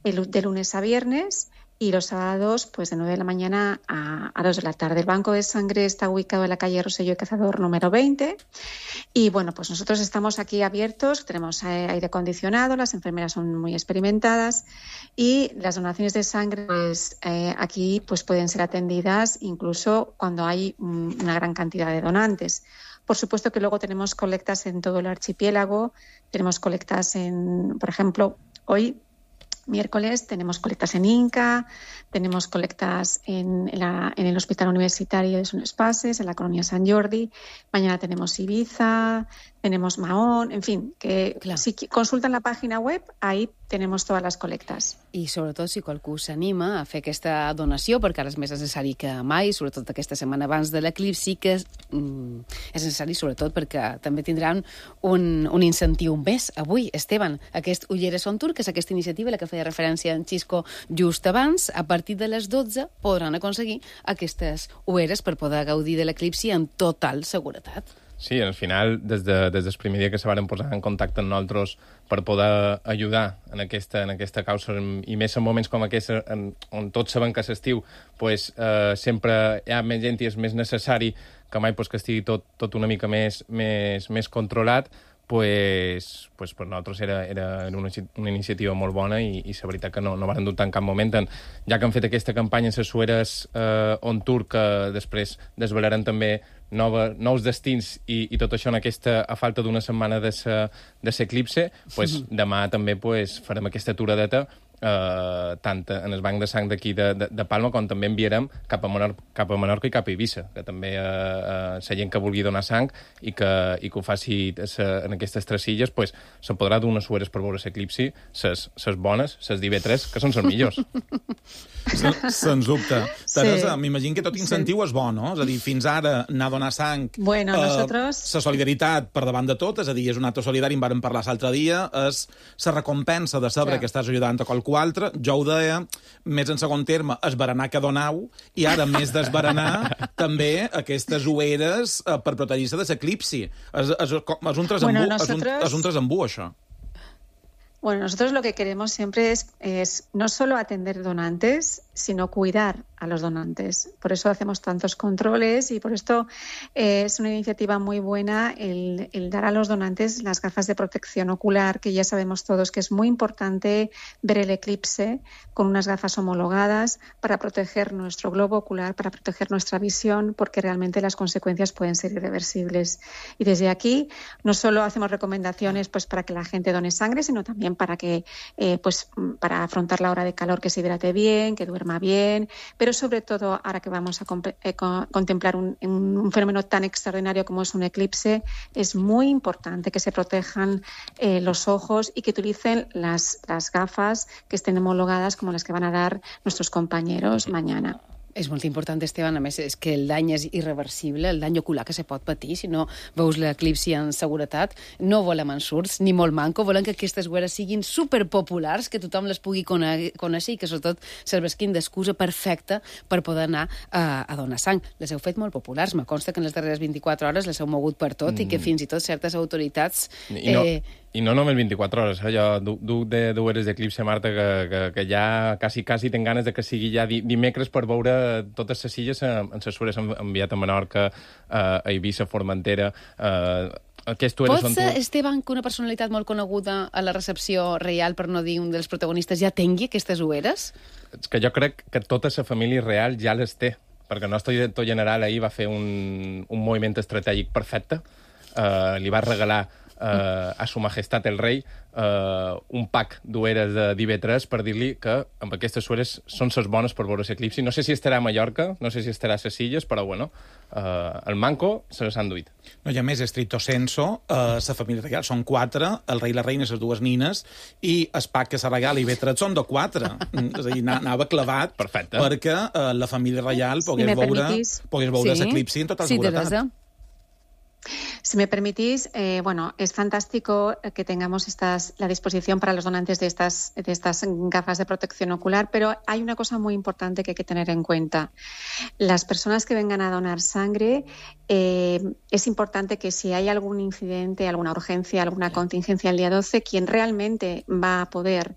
el, de lunes a viernes, y los sábados pues de nueve de la mañana a, a dos de la tarde. El banco de sangre está ubicado en la calle Rosselló y Cazador número veinte. Y bueno, pues nosotros estamos aquí abiertos, tenemos aire acondicionado, las enfermeras son muy experimentadas y las donaciones de sangre pues eh, aquí pues pueden ser atendidas incluso cuando hay um, una gran cantidad de donantes. Por supuesto que luego tenemos colectas en todo el archipiélago, tenemos colectas en, por ejemplo, hoy miércoles tenemos colectas en Inca, tenemos colectas en, la, en el Hospital Universitario de Son Espases, en la Colonia Sant Jordi, mañana tenemos Ibiza, tenemos Mahón, en fin, que Clar. Si consultan la página web, ahí tenemos todas les colectes. I sobretot si qualcú s'anima a fer aquesta donació, perquè ara és més necessari que mai, sobretot aquesta setmana abans de l'eclipsi, que mm, és necessari sobretot perquè també tindran un, un incentiu més avui. Esteban, aquest Ulleres on Tour, que és aquesta iniciativa a la que feia referència en Xisco just abans, a partir de les dotze podran aconseguir aquestes ulleres per poder gaudir de l'eclipsi en total seguretat. Sí, al final, des, de, des del primer dia que se varen posar en contacte amb nosaltres per poder ajudar en aquesta, en aquesta causa, i més en moments com aquests, en, on tots saben que s'estiu, pues, eh, sempre hi ha més gent i és més necessari que mai pues, que estigui tot, tot una mica més, més, més controlat, pues, pues per nosaltres era, era una, una iniciativa molt bona i, i la veritat que no, no van dubtar en cap moment. En, ja que han fet aquesta campanya en les sueres eh, on tour, que després desvelaran també nova, nous destins i, i tot això en aquesta, a falta d'una setmana de l'eclipse, pues, demà també pues, farem aquesta aturadeta Uh, tant en el banc de sang d'aquí de, de, de Palma com també enviarem cap a, Menor, cap a Menorca i cap a Eivissa, que també uh, uh, la gent que vulgui donar sang i que, i que ho faci sa, en aquestes tres illes, pues, se podrà dur unes sueres per veure l'eclipsi, ses, ses bones, ses d'I V tres, que són les millors. Sens dubte. Teresa, sí. M'imagino que tot incentiu sí. és bo, no? És a dir, fins ara anar a donar sang... Bueno, eh, nosotros... La solidaritat per davant de tot, és a dir, és un acte solidari, en vàrem parlar l'altre dia, és la recompensa de saber sí. que estàs ajudant a qualcú altre. Jo ho deia, més en segon terme, esbaranar que donau, i ara, més d'esbaranar, també aquestes ueres eh, per protegir-se de l'eclipsi. És, és, és un tresembú, bueno, nosotros... és un, és un tresembú, això. Bueno, nosotros lo que queremos siempre es, es no solo atender donantes, sino cuidar a los donantes. Por eso hacemos tantos controles y por esto eh, es una iniciativa muy buena el, el dar a los donantes las gafas de protección ocular, que ya sabemos todos que es muy importante ver el eclipse con unas gafas homologadas para proteger nuestro globo ocular, para proteger nuestra visión, porque realmente las consecuencias pueden ser irreversibles. Y desde aquí no solo hacemos recomendaciones pues, para que la gente done sangre, sino también para que eh, pues para afrontar la hora de calor, que se hidrate bien, que duerma bien, pero sobre todo ahora que vamos a eh, con, contemplar un, un fenómeno tan extraordinario como es un eclipse, es muy importante que se protejan eh, los ojos y que utilicen las, las gafas que estén homologadas como las que van a dar nuestros compañeros mañana. És molt important, Esteban, a més, és que el dany és irreversible, el dany ocular que se pot patir si no veus l'eclipsi en seguretat. No volem ensurts, ni molt manco, volem que aquestes ueres siguin superpopulars, que tothom les pugui conèixer i que sobretot serveixin d'excusa perfecta per poder anar a, a donar sang. Les heu fet molt populars, me consta que en les darreres vint-i-quatre hores les heu mogut per tot mm. i que fins i tot certes autoritats... I no... Eh, I no només vint-i-quatre hores, eh? Jo duc de dues d'eclipse, Marta, que, que, que ja quasi, quasi tenc ganes de que sigui ja dimecres per veure totes les illes en les sueres enviat a Menorca, a Eivissa, Formentera... Pot ser, Esteban, que una personalitat molt coneguda a la recepció reial, per no dir un dels protagonistes, ja tingui aquestes ueres? És que jo crec que tota la família real ja les té, perquè el nostre director general ahir va fer un, un moviment estratègic perfecte, uh, li va regalar Uh, a su majestat el rei uh, un pack d'ueres d'I V tres per dir-li que amb aquestes sueres són ses bones per veure l'eclipsi. No sé si estarà a Mallorca, no sé si estarà a les illes, però bueno, uh, el manco se les han duit. No, i a més, estricto senso, la uh, família real són quatre, el rei, la reina i les dues nines, i el pack que se regala I V tres són de quatre. És a dir, anava clavat. Perfecte. Perquè uh, la família reial pogués si veure, pogués veure sí. l'eclipsi en tota sí, seguretat. Teresa. Si me permitís, eh, bueno, es fantástico que tengamos estas, la disposición para los donantes de estas, de estas gafas de protección ocular, pero hay una cosa muy importante que hay que tener en cuenta. Las personas que vengan a donar sangre, eh, es importante que si hay algún incidente, alguna urgencia, alguna contingencia el día doce, quien realmente va a poder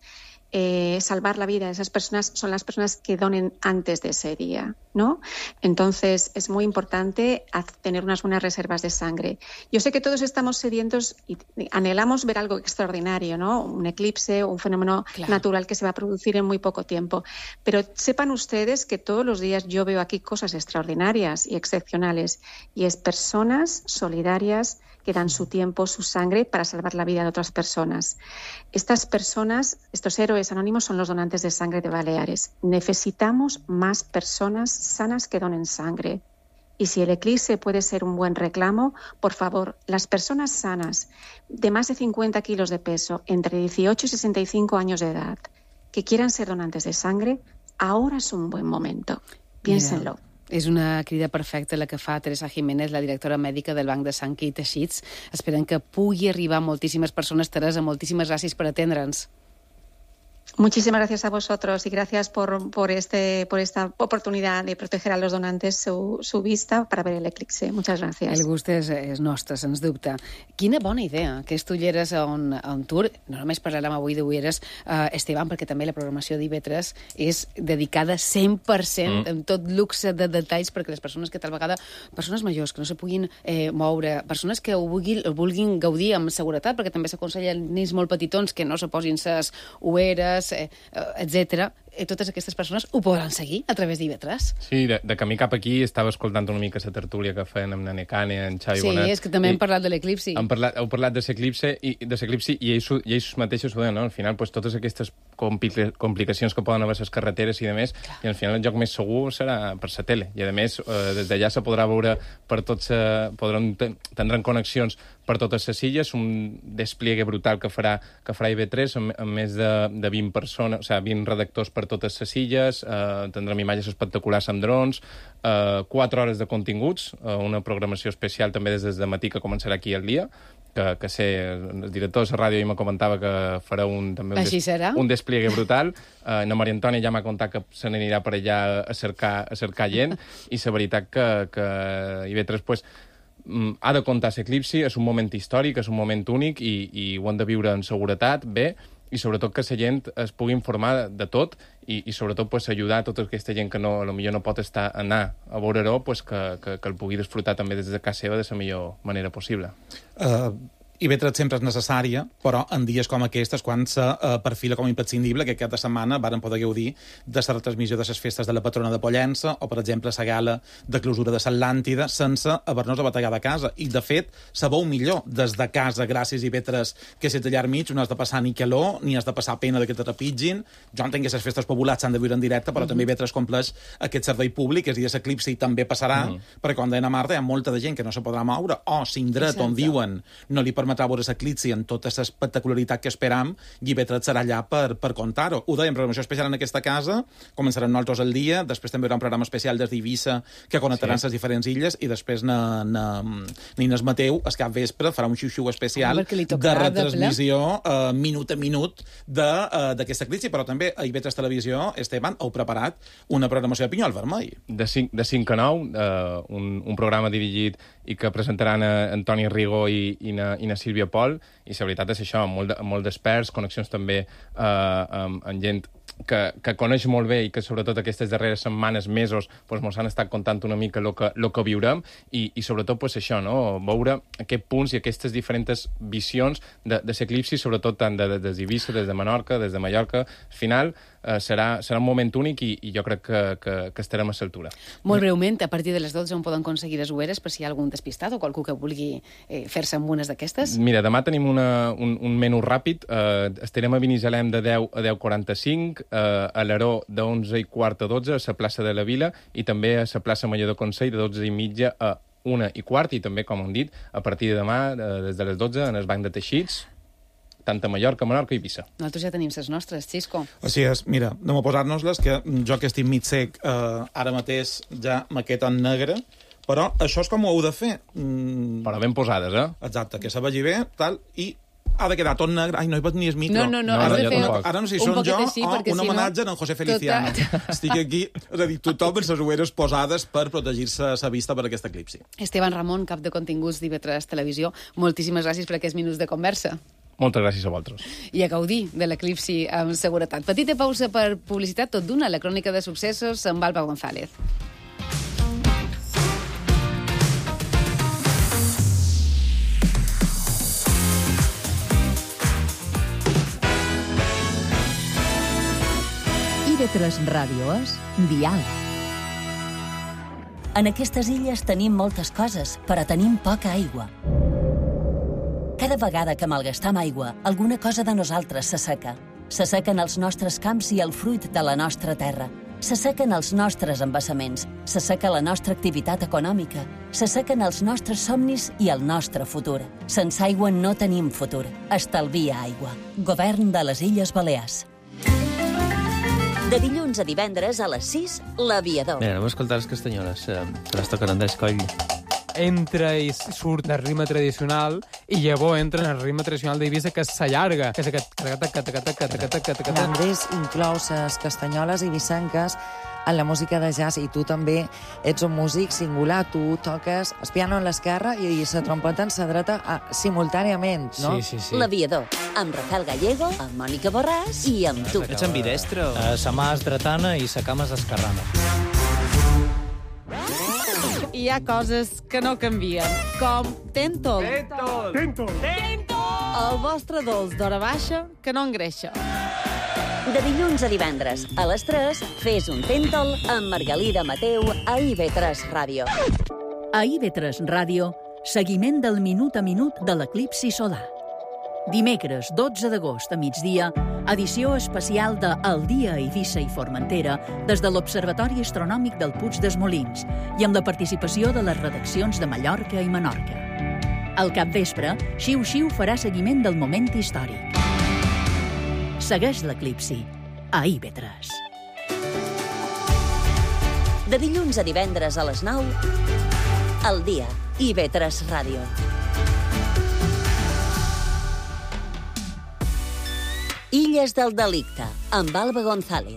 Eh, salvar la vida de esas personas son las personas que donen antes de ese día, ¿no? Entonces es muy importante tener unas buenas reservas de sangre. Yo sé que todos estamos sedientos y anhelamos ver algo extraordinario, ¿no? Un eclipse, un fenómeno claro. natural que se va a producir en muy poco tiempo. Pero sepan ustedes que todos los días yo veo aquí cosas extraordinarias y excepcionales, y es personas solidarias que dan su tiempo, su sangre para salvar la vida de otras personas. Estas personas, estos héroes anónimos, son los donantes de sangre de Baleares. Necesitamos más personas sanas que donen sangre. Y si el eclipse puede ser un buen reclamo, por favor, las personas sanas de más de cincuenta kilos de peso, entre dieciocho y sesenta y cinco años de edad, que quieran ser donantes de sangre, ahora es un buen momento. Piénsenlo. Mira. És una crida perfecta la que fa Teresa Jiménez, la directora mèdica del Banc de Sang i Teixits. Esperem que pugui arribar a moltíssimes persones. Teresa, moltíssimes gràcies per atendre'ns. Muchísimas gracias a vosotros y gracias por, por, este, por esta oportunidad de proteger a los donantes su, su vista para ver el eclipse. Muchas gracias. El gust és, és nostre, sens dubte. Quina bona idea, aquestes ulleres on, on tour. No només parlarem avui d'ulleres, uh, Esteban, perquè també la programació d'I V tres és dedicada cent per cent, mm. amb tot luxe de detalls, perquè les persones que tal vegada, persones majors que no se puguin eh, moure, persones que ho vulguin, ho vulguin gaudir amb seguretat, perquè també s'aconsella nens molt petitons que no se posin ses ulleres, eh, etcètera. Totes aquestes persones ho podran seguir a través d'I V tres. Sí, de, de camí cap aquí estava escoltant una mica la tertúlia que feien amb Nene Cane, en Xavi sí, Bonet. Sí, és que també hem parlat de l'eclipsi. Hem parlat, heu parlat de l'eclipsi i, de l'eclipsi i ells, i ells mateixos ho deien, no? Al final, pues, totes aquestes compli complicacions que poden haver les carreteres i de més, i al final el lloc més segur serà per la tele. I a més, eh, des d'allà se podrà veure per tots... Eh, podran, tindran connexions per totes les illes, un despliegue brutal que farà, que farà I V tres amb, amb més de, de vint persones, o sigui, vint redactors per totes les illes, eh, tindrem imatges espectaculars amb drons, eh, quatre hores de continguts, eh, una programació especial també des de matí que començarà aquí al dia, que, que sé, el director de la ràdio m'ha comentava que farà un, també un, Així des, serà. un despliegue brutal. Eh, na Maria Antònia ja m'ha contat que se n'anirà per allà a cercar, a cercar gent, i la veritat que, que I V tres, pues, ha de comptar l'eclipsi, és un moment històric, és un moment únic i, i ho han de viure en seguretat, bé, i sobretot que la gent es pugui informar de, de tot i, i sobretot pues, ajudar a tota aquesta gent que no, potser no pot estar anar a veure-ho, pues, que, que, que el pugui disfrutar també des de casa seva de la millor manera possible. Uh, I V tres sempre és necessària, però en dies com aquestes, quan se uh, perfila com imprescindible, que aquesta setmana varen poder gaudir de la retransmissió de les festes de la patrona de Pollença o, per exemple, la gala de clausura de l'Atlàntida sense haver-nos de batallar de casa. I, de fet, se veu millor des de casa gràcies a I V tres que si ets allà al mig no has de passar ni calor ni has de passar pena de que te trepitgin. Jo entenc que les festes populars s'han de viure en directe, però mm -hmm. també I V tres compleix aquest servei públic, és a dir, l'eclipsi també passarà, mm -hmm. perquè, com deia a Marta, hi ha molta de gent que no se podrà moure, o si indret on viuen no li permetrà veure l'eclipsi en tota l'espectacularitat que esperam, i I V tres serà allà per, per contar-ho. Ho dèiem, programació especial en aquesta casa, començarem nosaltres el dia, després també hi haurà un programa especial des d'Eivissa que connectaran les sí. diferents illes, i després na, na, Nines Mateu, el cap vespre, farà un xiu-xiu especial de retransmissió uh, minut a minut d'aquesta uh, eclipsi, però també a I V tres Televisió, Esteban, heu preparat una programació de Pinyol Vermell. De cinc a nou, uh, un, un programa dirigit i que presentaran a Antoni Rigo i, i, na, i na Sílvia Pol, i la veritat és això, molt, de, molt d'experts, connexions també eh, amb, amb gent que, que coneix molt bé i que sobretot aquestes darreres setmanes, mesos, doncs mos han estat contant una mica el que, lo que viurem i, i sobretot pues, això, no? Veure aquests punts i aquestes diferents visions de, de l'eclipsi, sobretot tant de, de, des d'Eivissa, des de Menorca, des de Mallorca. Al final eh, serà, serà un moment únic i, i jo crec que, que, que estarem a l'altura. Molt breument, a partir de les dotze on poden aconseguir les ulleres per si hi ha algun despistat o qualcú que vulgui eh, fer-se amb unes d'aquestes? Mira, demà tenim una, un, un menú ràpid. Eh, estarem a Binissalem de deu a deu quaranta-cinc, eh, a l'Aró d'onze i quart a dotze, a la plaça de la Vila, i també a la plaça Major de Consell de dotze i mitja a una i quart, i també, com hem dit, a partir de demà, eh, des de les dotze, en el Banc de Teixits, tant a Mallorca, Menorca i Eivissa. Nosaltres ja tenim les nostres, Xisco. Així és, mira, anem a posar-nos-les, que jo que estic mig sec, eh, ara mateix ja m'aqueta en negre, però això és com ho heu de fer. Mm. Però ben posades, eh? Exacte, que se vegi bé, tal, i ha de quedar tot negre. Ai, no hi veig ni el micro. No, no, no, ara, has de fer no, ara no sé si són jo sí, o un homenatge no... a en José Feliciano. Tota... Estic aquí, és a dir, tothom amb les ulleres posades per protegir-se la vista per aquest eclipsi. Esteban Ramon, cap de continguts d'I V tres Televisió, moltíssimes gràcies per aquests minuts de conversa. Moltes gràcies a vosaltres. I a gaudir de l'eclipsi amb seguretat. Petita pausa per publicitat, tot d'una, la crònica de successos amb Alba González. I V tres Ràdio és diàleg. En aquestes illes tenim moltes coses, però tenim poca aigua. Cada vegada que malgastam aigua, alguna cosa de nosaltres s'asseca. S'assequen els nostres camps i el fruit de la nostra terra. S'assequen els nostres embassaments. S'asseca la nostra activitat econòmica. S'assequen els nostres somnis i el nostre futur. Sense aigua no tenim futur. Estalvia aigua. Govern de les Illes Balears. De dilluns a divendres a les sis, l'Aviador. Mira, anem a escoltar les castanyoles, eh, que les toquen Andrés Coll. entra i surt del ritme tradicional i llavors entra en el ritme tradicional d'Eivissa, que s'allarga, que és aquest... L'Andrés inclou les castanyoles eivissenques en la música de jazz, i tu també ets un músic singular. Tu toques el piano en l'esquerra i la trompeta en la dreta simultàniament, no? Sí, sí, sí. L'Aviador, amb Rafael Gallego, amb Mònica Borràs i amb tu. Ets ambidestre? Uh, sa mà és dretana i sa cama és esquerrana. Hi ha coses que no canvien, com Tentol. Tentol! Tentol! Tentol! El vostre dolç d'hora baixa que no engreixa. De dilluns a divendres, a les tres, fes un Tentol amb Margalida Mateu a I V tres Ràdio. A I V tres Ràdio, seguiment del minut a minut de l'eclipsi solar. Dimecres, dotze d'agost a migdia, edició especial de El dia a Eivissa i Formentera des de l'Observatori Astronòmic del Puig dels Molins i amb la participació de les redaccions de Mallorca i Menorca. Al capvespre, Xiu Xiu farà seguiment del moment històric. Segueix l'eclipsi a I V tres. De dilluns a divendres a les nou, El dia, I V tres Ràdio. Illes del delicte, amb Alba González.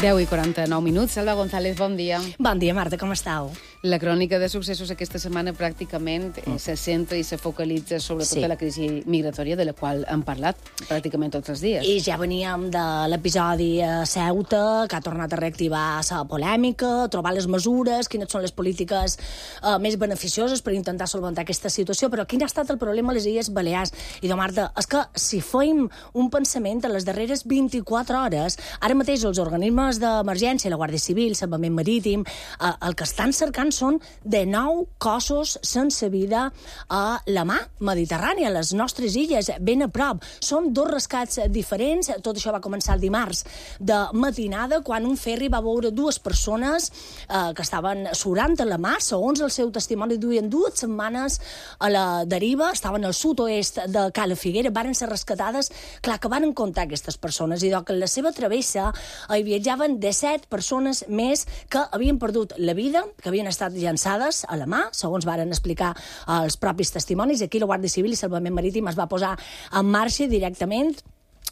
deu i quaranta-nou minuts. Alba González, bon dia. Bon dia, Marta, com estàu? La crònica de successos aquesta setmana pràcticament mm. se centra i se focalitza sobretot sí. a la crisi migratòria, de la qual hem parlat pràcticament tots els dies. I ja veníem de l'episodi a Ceuta, que ha tornat a reactivar la polèmica, trobar les mesures, quines són les polítiques eh, més beneficioses per intentar solventar aquesta situació, però quin ha estat el problema a les Illes Balears? I de Marta, és que si fem un pensament en les darreres vint-i-quatre hores, ara mateix els organismes d'emergència, la Guàrdia Civil, Salvament Marítim, eh, el que estan cercant són de nou cossos sense vida a la mar Mediterrània, a les nostres illes, ben a prop. Són dos rescats diferents. Tot això va començar el dimarts de matinada, quan un ferri va veure dues persones eh, que estaven surant a la mar. Segons el seu testimoni, duien dues setmanes a la deriva, estaven al sud-oest de Cala Figuera, varen ser rescatades. Clar, que van comptar aquestes persones, i que en la seva travessa hi viatjaven disset persones més que havien perdut la vida, que havien estat estat llançades a la mà, segons varen explicar els propis testimonis. Aquí la Guàrdia Civil i Salvament Marítim es va posar en marxa directament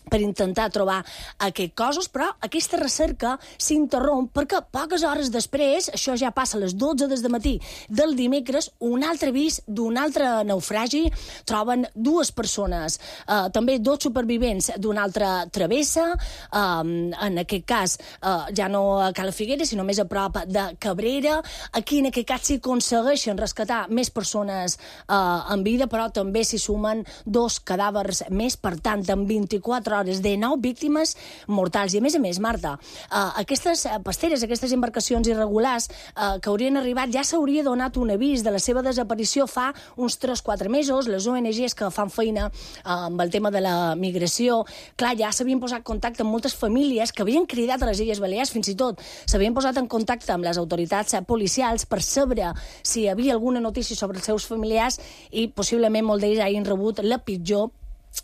per intentar trobar aquests cossos, però aquesta recerca s'interromp perquè poques hores després, això ja passa a les dotze des de matí del dimecres, un altre avís d'un altre naufragi. Troben dues persones, eh, també dos supervivents d'una altra travessa, eh, en aquest cas eh, ja no a Cala Figuera, sinó més a prop de Cabrera. Aquí en aquest cas s'hi aconsegueixen rescatar més persones eh, en vida, però també s'hi sumen dos cadàvers més, per tant, en vint-i-quatre hores de nou víctimes mortals. I a més a més, Marta, eh, aquestes pasteres, aquestes embarcacions irregulars eh, que haurien arribat, ja s'hauria donat un avís de la seva desaparició fa uns tres o quatre mesos. Les O N Ges que fan feina eh, amb el tema de la migració, clar, ja s'havien posat en contacte amb moltes famílies que havien cridat a les Illes Balears, fins i tot s'havien posat en contacte amb les autoritats policials per saber si hi havia alguna notícia sobre els seus familiars, i possiblement molts d'ells hagin rebut la pitjor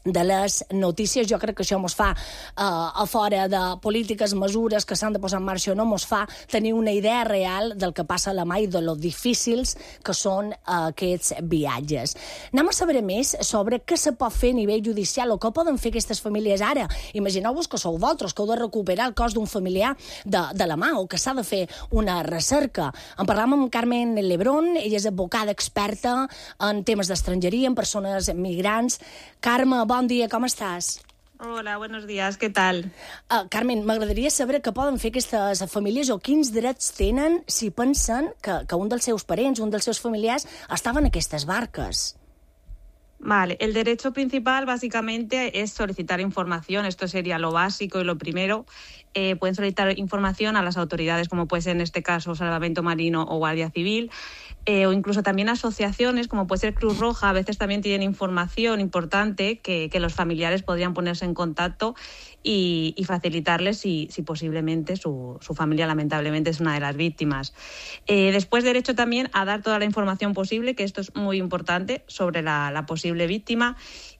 de les notícies. Jo crec que això mos fa, eh, a fora de polítiques, mesures que s'han de posar en marxa o no, mos fa tenir una idea real del que passa a la mar i de lo difícils que són eh, aquests viatges. Anem a saber més sobre què se pot fer a nivell judicial o què poden fer aquestes famílies ara. Imagineu-vos que sou vosaltres, que heu de recuperar el cos d'un familiar de, de la mà, o que s'ha de fer una recerca. En parlàvem amb Carmen Lebrón, ella és advocada experta en temes d'estrangeria, en persones migrants. Carme, bon dia, com estàs? Hola, buenos días, ¿qué tal? Uh, Carmen, m'agradaria saber què poden fer aquestes famílies o quins drets tenen si pensen que, que un dels seus parents, un dels seus familiars, estava en aquestes barques. Vale, el derecho principal básicamente es solicitar información, esto sería lo básico y lo primero. Eh, pueden solicitar información a las autoridades, como puede ser en este caso Salvamento Marino o Guardia Civil, eh, o incluso también asociaciones como puede ser Cruz Roja. A veces también tienen información importante que, que los familiares podrían ponerse en contacto y, y facilitarles si, si posiblemente su, su familia lamentablemente es una de las víctimas. Eh, después, derecho también a dar toda la información posible, que esto es muy importante, sobre la, la posible víctima.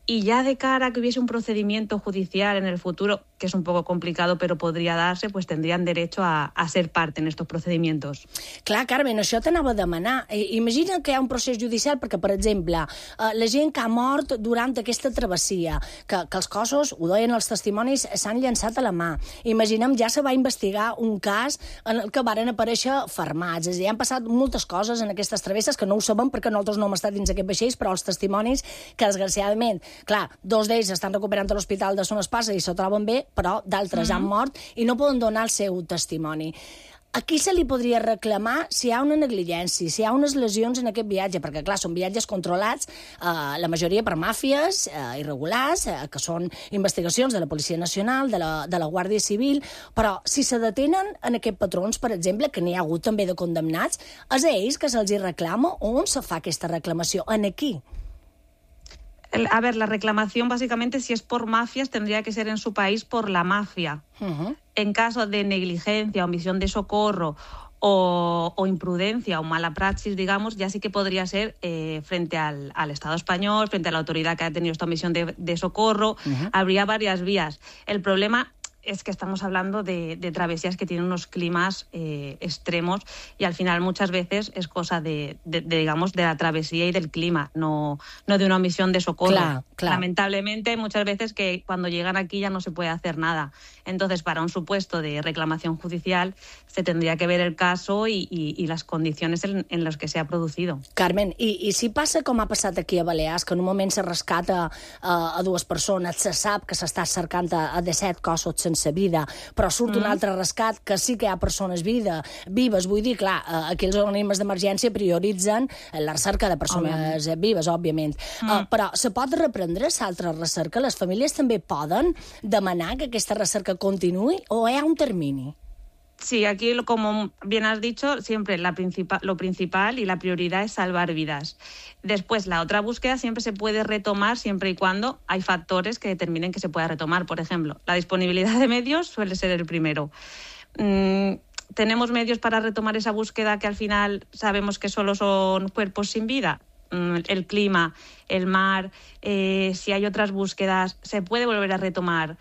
Y ya de cara a que hubiese un procedimiento judicial en el futuro, que es un poco complicado, però podria darse, pues tendrían derecho a, a ser parte en estos procedimientos. Clar, Carmen, això t'anava a demanar. Imagina que hi ha un procés judicial perquè, per exemple, la gent que ha mort durant aquesta travessia, que, que els cossos, ho deien els testimonis, s'han llançat a la mà. Imaginem, ja se va investigar un cas en el que varen aparèixer fermats. És a dir, han passat moltes coses en aquestes travesses que no ho sabem perquè nosaltres no hem estat dins aquest vaixells, però els testimonis que, desgraciadament, clar, dos d'ells estan recuperant a l'hospital de Son Espasa i se troben bé, però d'altres mm-hmm. han mort i no poden donar el seu testimoni. A qui se li podria reclamar si hi ha una negligència, si hi ha unes lesions en aquest viatge? Perquè, clar, són viatges controlats, eh, la majoria per màfies eh, irregulars, eh, que són investigacions de la Policia Nacional, de la, de la Guàrdia Civil, però si se detenen en aquests patrons, per exemple, que n'hi ha hagut també de condemnats, és a ells que se'ls reclama? On se fa aquesta reclamació? En aquí? A ver, la reclamación básicamente, si es por mafias, tendría que ser en su país por la mafia. Uh-huh. En caso de negligencia, omisión de socorro o, o imprudencia o mala praxis, digamos, ya sí que podría ser eh, frente al, al Estado español, frente a la autoridad que ha tenido esta omisión de, de socorro. Uh-huh. Habría varias vías. El problema es que estamos hablando de, de travesías que tienen unos climas eh, extremos y al final muchas veces es cosa de, de, de, digamos, de la travesía y del clima, no, no de una omisión de socorro. Claro, claro. Lamentablemente, muchas veces que cuando llegan aquí ya no se puede hacer nada. Entonces, para un supuesto de reclamación judicial, se tendría que ver el caso y, y, y las condiciones en, en las que se ha producido. Carmen, i, i si passa com ha passat aquí a Balears, que en un moment se rescata a, a dues persones, se sap que s'està cercant a, a disset cossos sense vida, però surt mm. un altre rescat que sí que hi ha persones vida, vives, vull dir, clar, aquí els organismes d'emergència prioritzen la recerca de persones Òbviament. vives, òbviament. Mm. Uh, però se pot reprendre l'altra recerca? Les famílies també poden demanar que aquesta recerca continuï o hi ha un termini? Sí, aquí, como bien has dicho, siempre la principal, lo principal y la prioridad es salvar vidas. Después, la otra búsqueda siempre se puede retomar siempre y cuando hay factores que determinen que se pueda retomar. Por ejemplo, la disponibilidad de medios suele ser el primero. Mm, ¿Tenemos medios para retomar esa búsqueda que al final sabemos que solo son cuerpos sin vida? Mm, el clima, el mar, eh, si hay otras búsquedas, ¿se puede volver a retomar?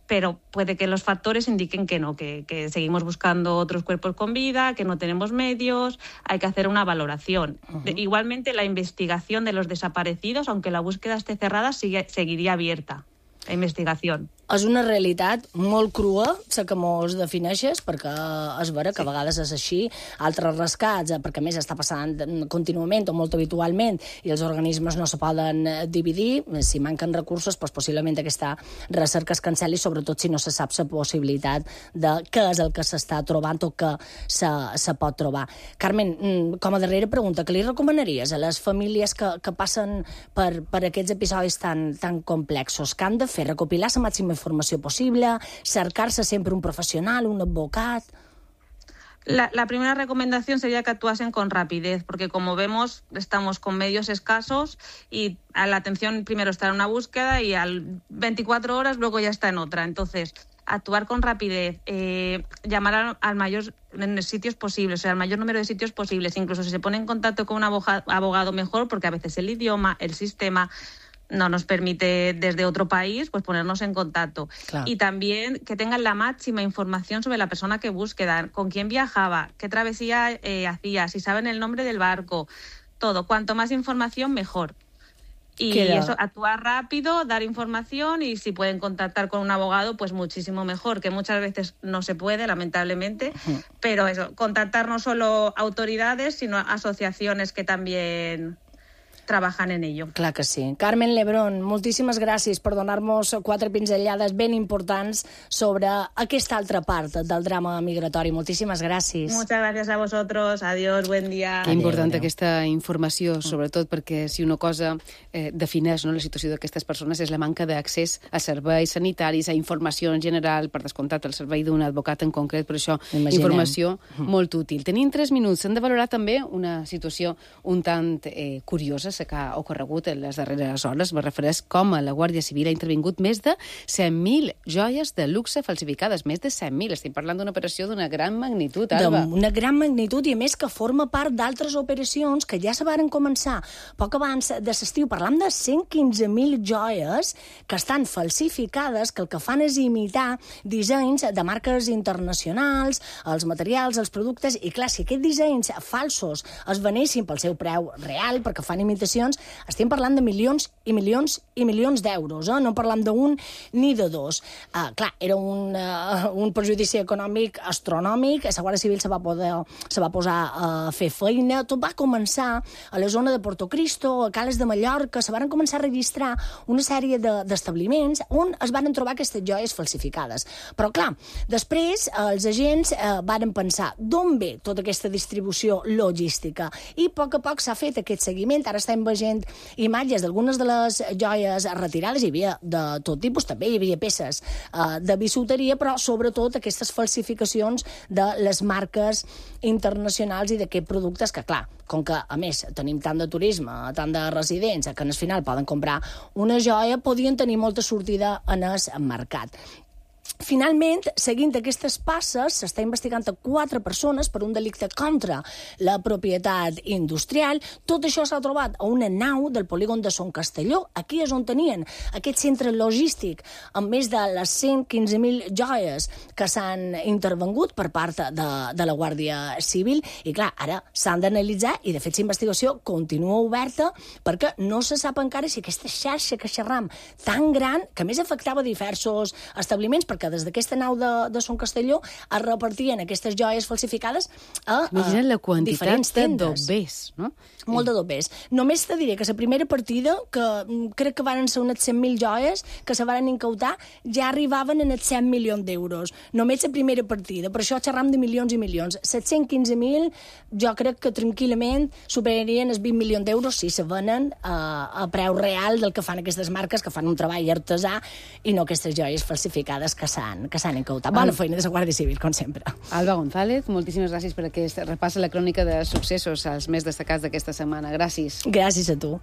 Pero puede que los factores indiquen que no, que, que seguimos buscando otros cuerpos con vida, que no tenemos medios, hay que hacer una valoración. Uh-huh. De, igualmente, la investigación de los desaparecidos, aunque la búsqueda esté cerrada, sigue, seguiría abierta, la investigación. És una realitat molt crua, la que mos defineixes, perquè és vera que sí. a vegades és així. Altres rescats, perquè a més està passant contínuament o molt habitualment, i els organismes no se poden dividir. Si manquen recursos, doncs possiblement aquesta recerca es cancel·li, sobretot si no se sap la possibilitat de què és el que s'està trobant o que se, se pot trobar. Carmen, com a darrera pregunta, què li recomanaries a les famílies que, que passen per, per aquests episodis tan, tan complexos? Què han de fer? Recopilar la màxima informació possible, cercar-se sempre un profesional, un advocat. La, la primera recomendación sería que actuasen con rapidez, porque como vemos estamos con medios escasos y a la atención primero está en una búsqueda y al veinticuatro horas luego ya está en otra. Entonces, actuar con rapidez, eh, llamar al, al mayor en sitios posibles, o sea, al mayor número de sitios posibles, incluso si se pone en contacto con un abogado, abogado mejor, porque a veces el idioma, el sistema no nos permite desde otro país pues ponernos en contacto. Claro. Y también que tengan la máxima información sobre la persona que búsqueda, con quién viajaba, qué travesía eh, hacía, si saben el nombre del barco, todo. Cuanto más información, mejor. Y Queda. eso, actuar rápido, dar información y si pueden contactar con un abogado, pues muchísimo mejor, que muchas veces no se puede, lamentablemente, uh-huh. pero eso, contactar no solo autoridades, sino asociaciones que también trabajan en ello. Clar que sí. Carmen Lebrón, moltíssimes gràcies per donar-nos quatre pinzellades ben importants sobre aquesta altra part del drama migratori. Moltíssimes gràcies. Muchas gracias a vosotros. Adiós, buen día. Que important aquesta informació, sobretot perquè si una cosa eh, defineix no, la situació d'aquestes persones és la manca d'accés a serveis sanitaris, a informació en general, per descomptat el servei d'un advocat en concret, per això Imaginem. informació molt útil. Tenim tres minuts. Hem de valorar també una situació un tant eh, curiosa, que ha ocorregut en les darreres hores. Me refereix com la Guàrdia Civil ha intervingut més de cent mil joies de luxe falsificades. Més de cent mil. Estem parlant d'una operació d'una gran magnitud, Alba. D'una gran magnitud i, a més, que forma part d'altres operacions que ja se varen començar poc abans de l'estiu. Parlam de cent quinze mil joies que estan falsificades, que el que fan és imitar dissenys de marques internacionals, els materials, els productes, i clar, si aquests dissenys falsos es venessin pel seu preu real, perquè fan imitacions, estem parlant de milions i milions i milions d'euros, eh? No parlam d'un ni de dos. Uh, clar, era un, uh, un perjudici econòmic astronòmic, la Guàrdia Civil se va, poder, se va posar a fer feina, tot va començar a la zona de Porto Cristo, a Cales de Mallorca, se van començar a registrar una sèrie d'establiments de, on es van trobar aquestes joies falsificades. Però, clar, després els agents eh, van pensar d'on ve tota aquesta distribució logística, i a poc a poc s'ha fet aquest seguiment. Ara estem veient imatges d'algunes de les joies retirades, hi havia de tot tipus, també hi havia peces eh, de bisuteria, però sobretot aquestes falsificacions de les marques internacionals i d'aquests productes que, clar, com que, a més, tenim tant de turisme, tant de residents, que al final poden comprar una joia, podien tenir molta sortida en el mercat. Finalment, seguint aquestes passes, s'està investigant a quatre persones per un delicte contra la propietat industrial. Tot això s'ha trobat a una nau del polígon de Son Castelló. Aquí és on tenien aquest centre logístic amb més de les cent quinze mil joies que s'han intervengut per part de, de la Guàrdia Civil. I clar, ara s'han d'analitzar, i de fet la investigació continua oberta perquè no se sap encara si aquesta xarxa que xerram tan gran, que més afectava diversos establiments, perquè des d'aquesta nau de, de Son Castelló es repartien aquestes joies falsificades a, a Imagina't la quantitat diferents de tendes. dobbers, no? Molt de dobbers. Només te diré que la primera partida, que crec que van ser unes cent mil joies que se van incautar, ja arribaven en els cent milions d'euros. Només la primera partida. Per això xerram de milions i milions. set cents i quinze mil, jo crec que tranquil·lament superarien els vint milions d'euros si se venen a, a preu real del que fan aquestes marques, que fan un treball artesà, i no aquestes joies falsificades que s'han que s'han incautat. Bona feina de la Guàrdia Civil, com sempre. Alba González, moltíssimes gràcies per aquest repàs a la crònica de successos, els més destacats d'aquesta setmana. Gràcies. Gràcies a tu.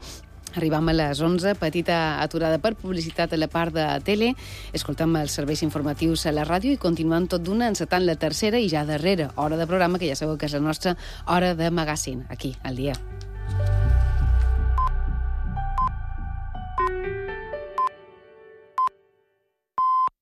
Arribam a les onze, petita aturada per publicitat a la part de tele, escoltam els serveis informatius a la ràdio i continuem tot d'una encetant la tercera i ja darrera hora de programa, que ja sabeu que és la nostra hora de magazine, aquí, al dia.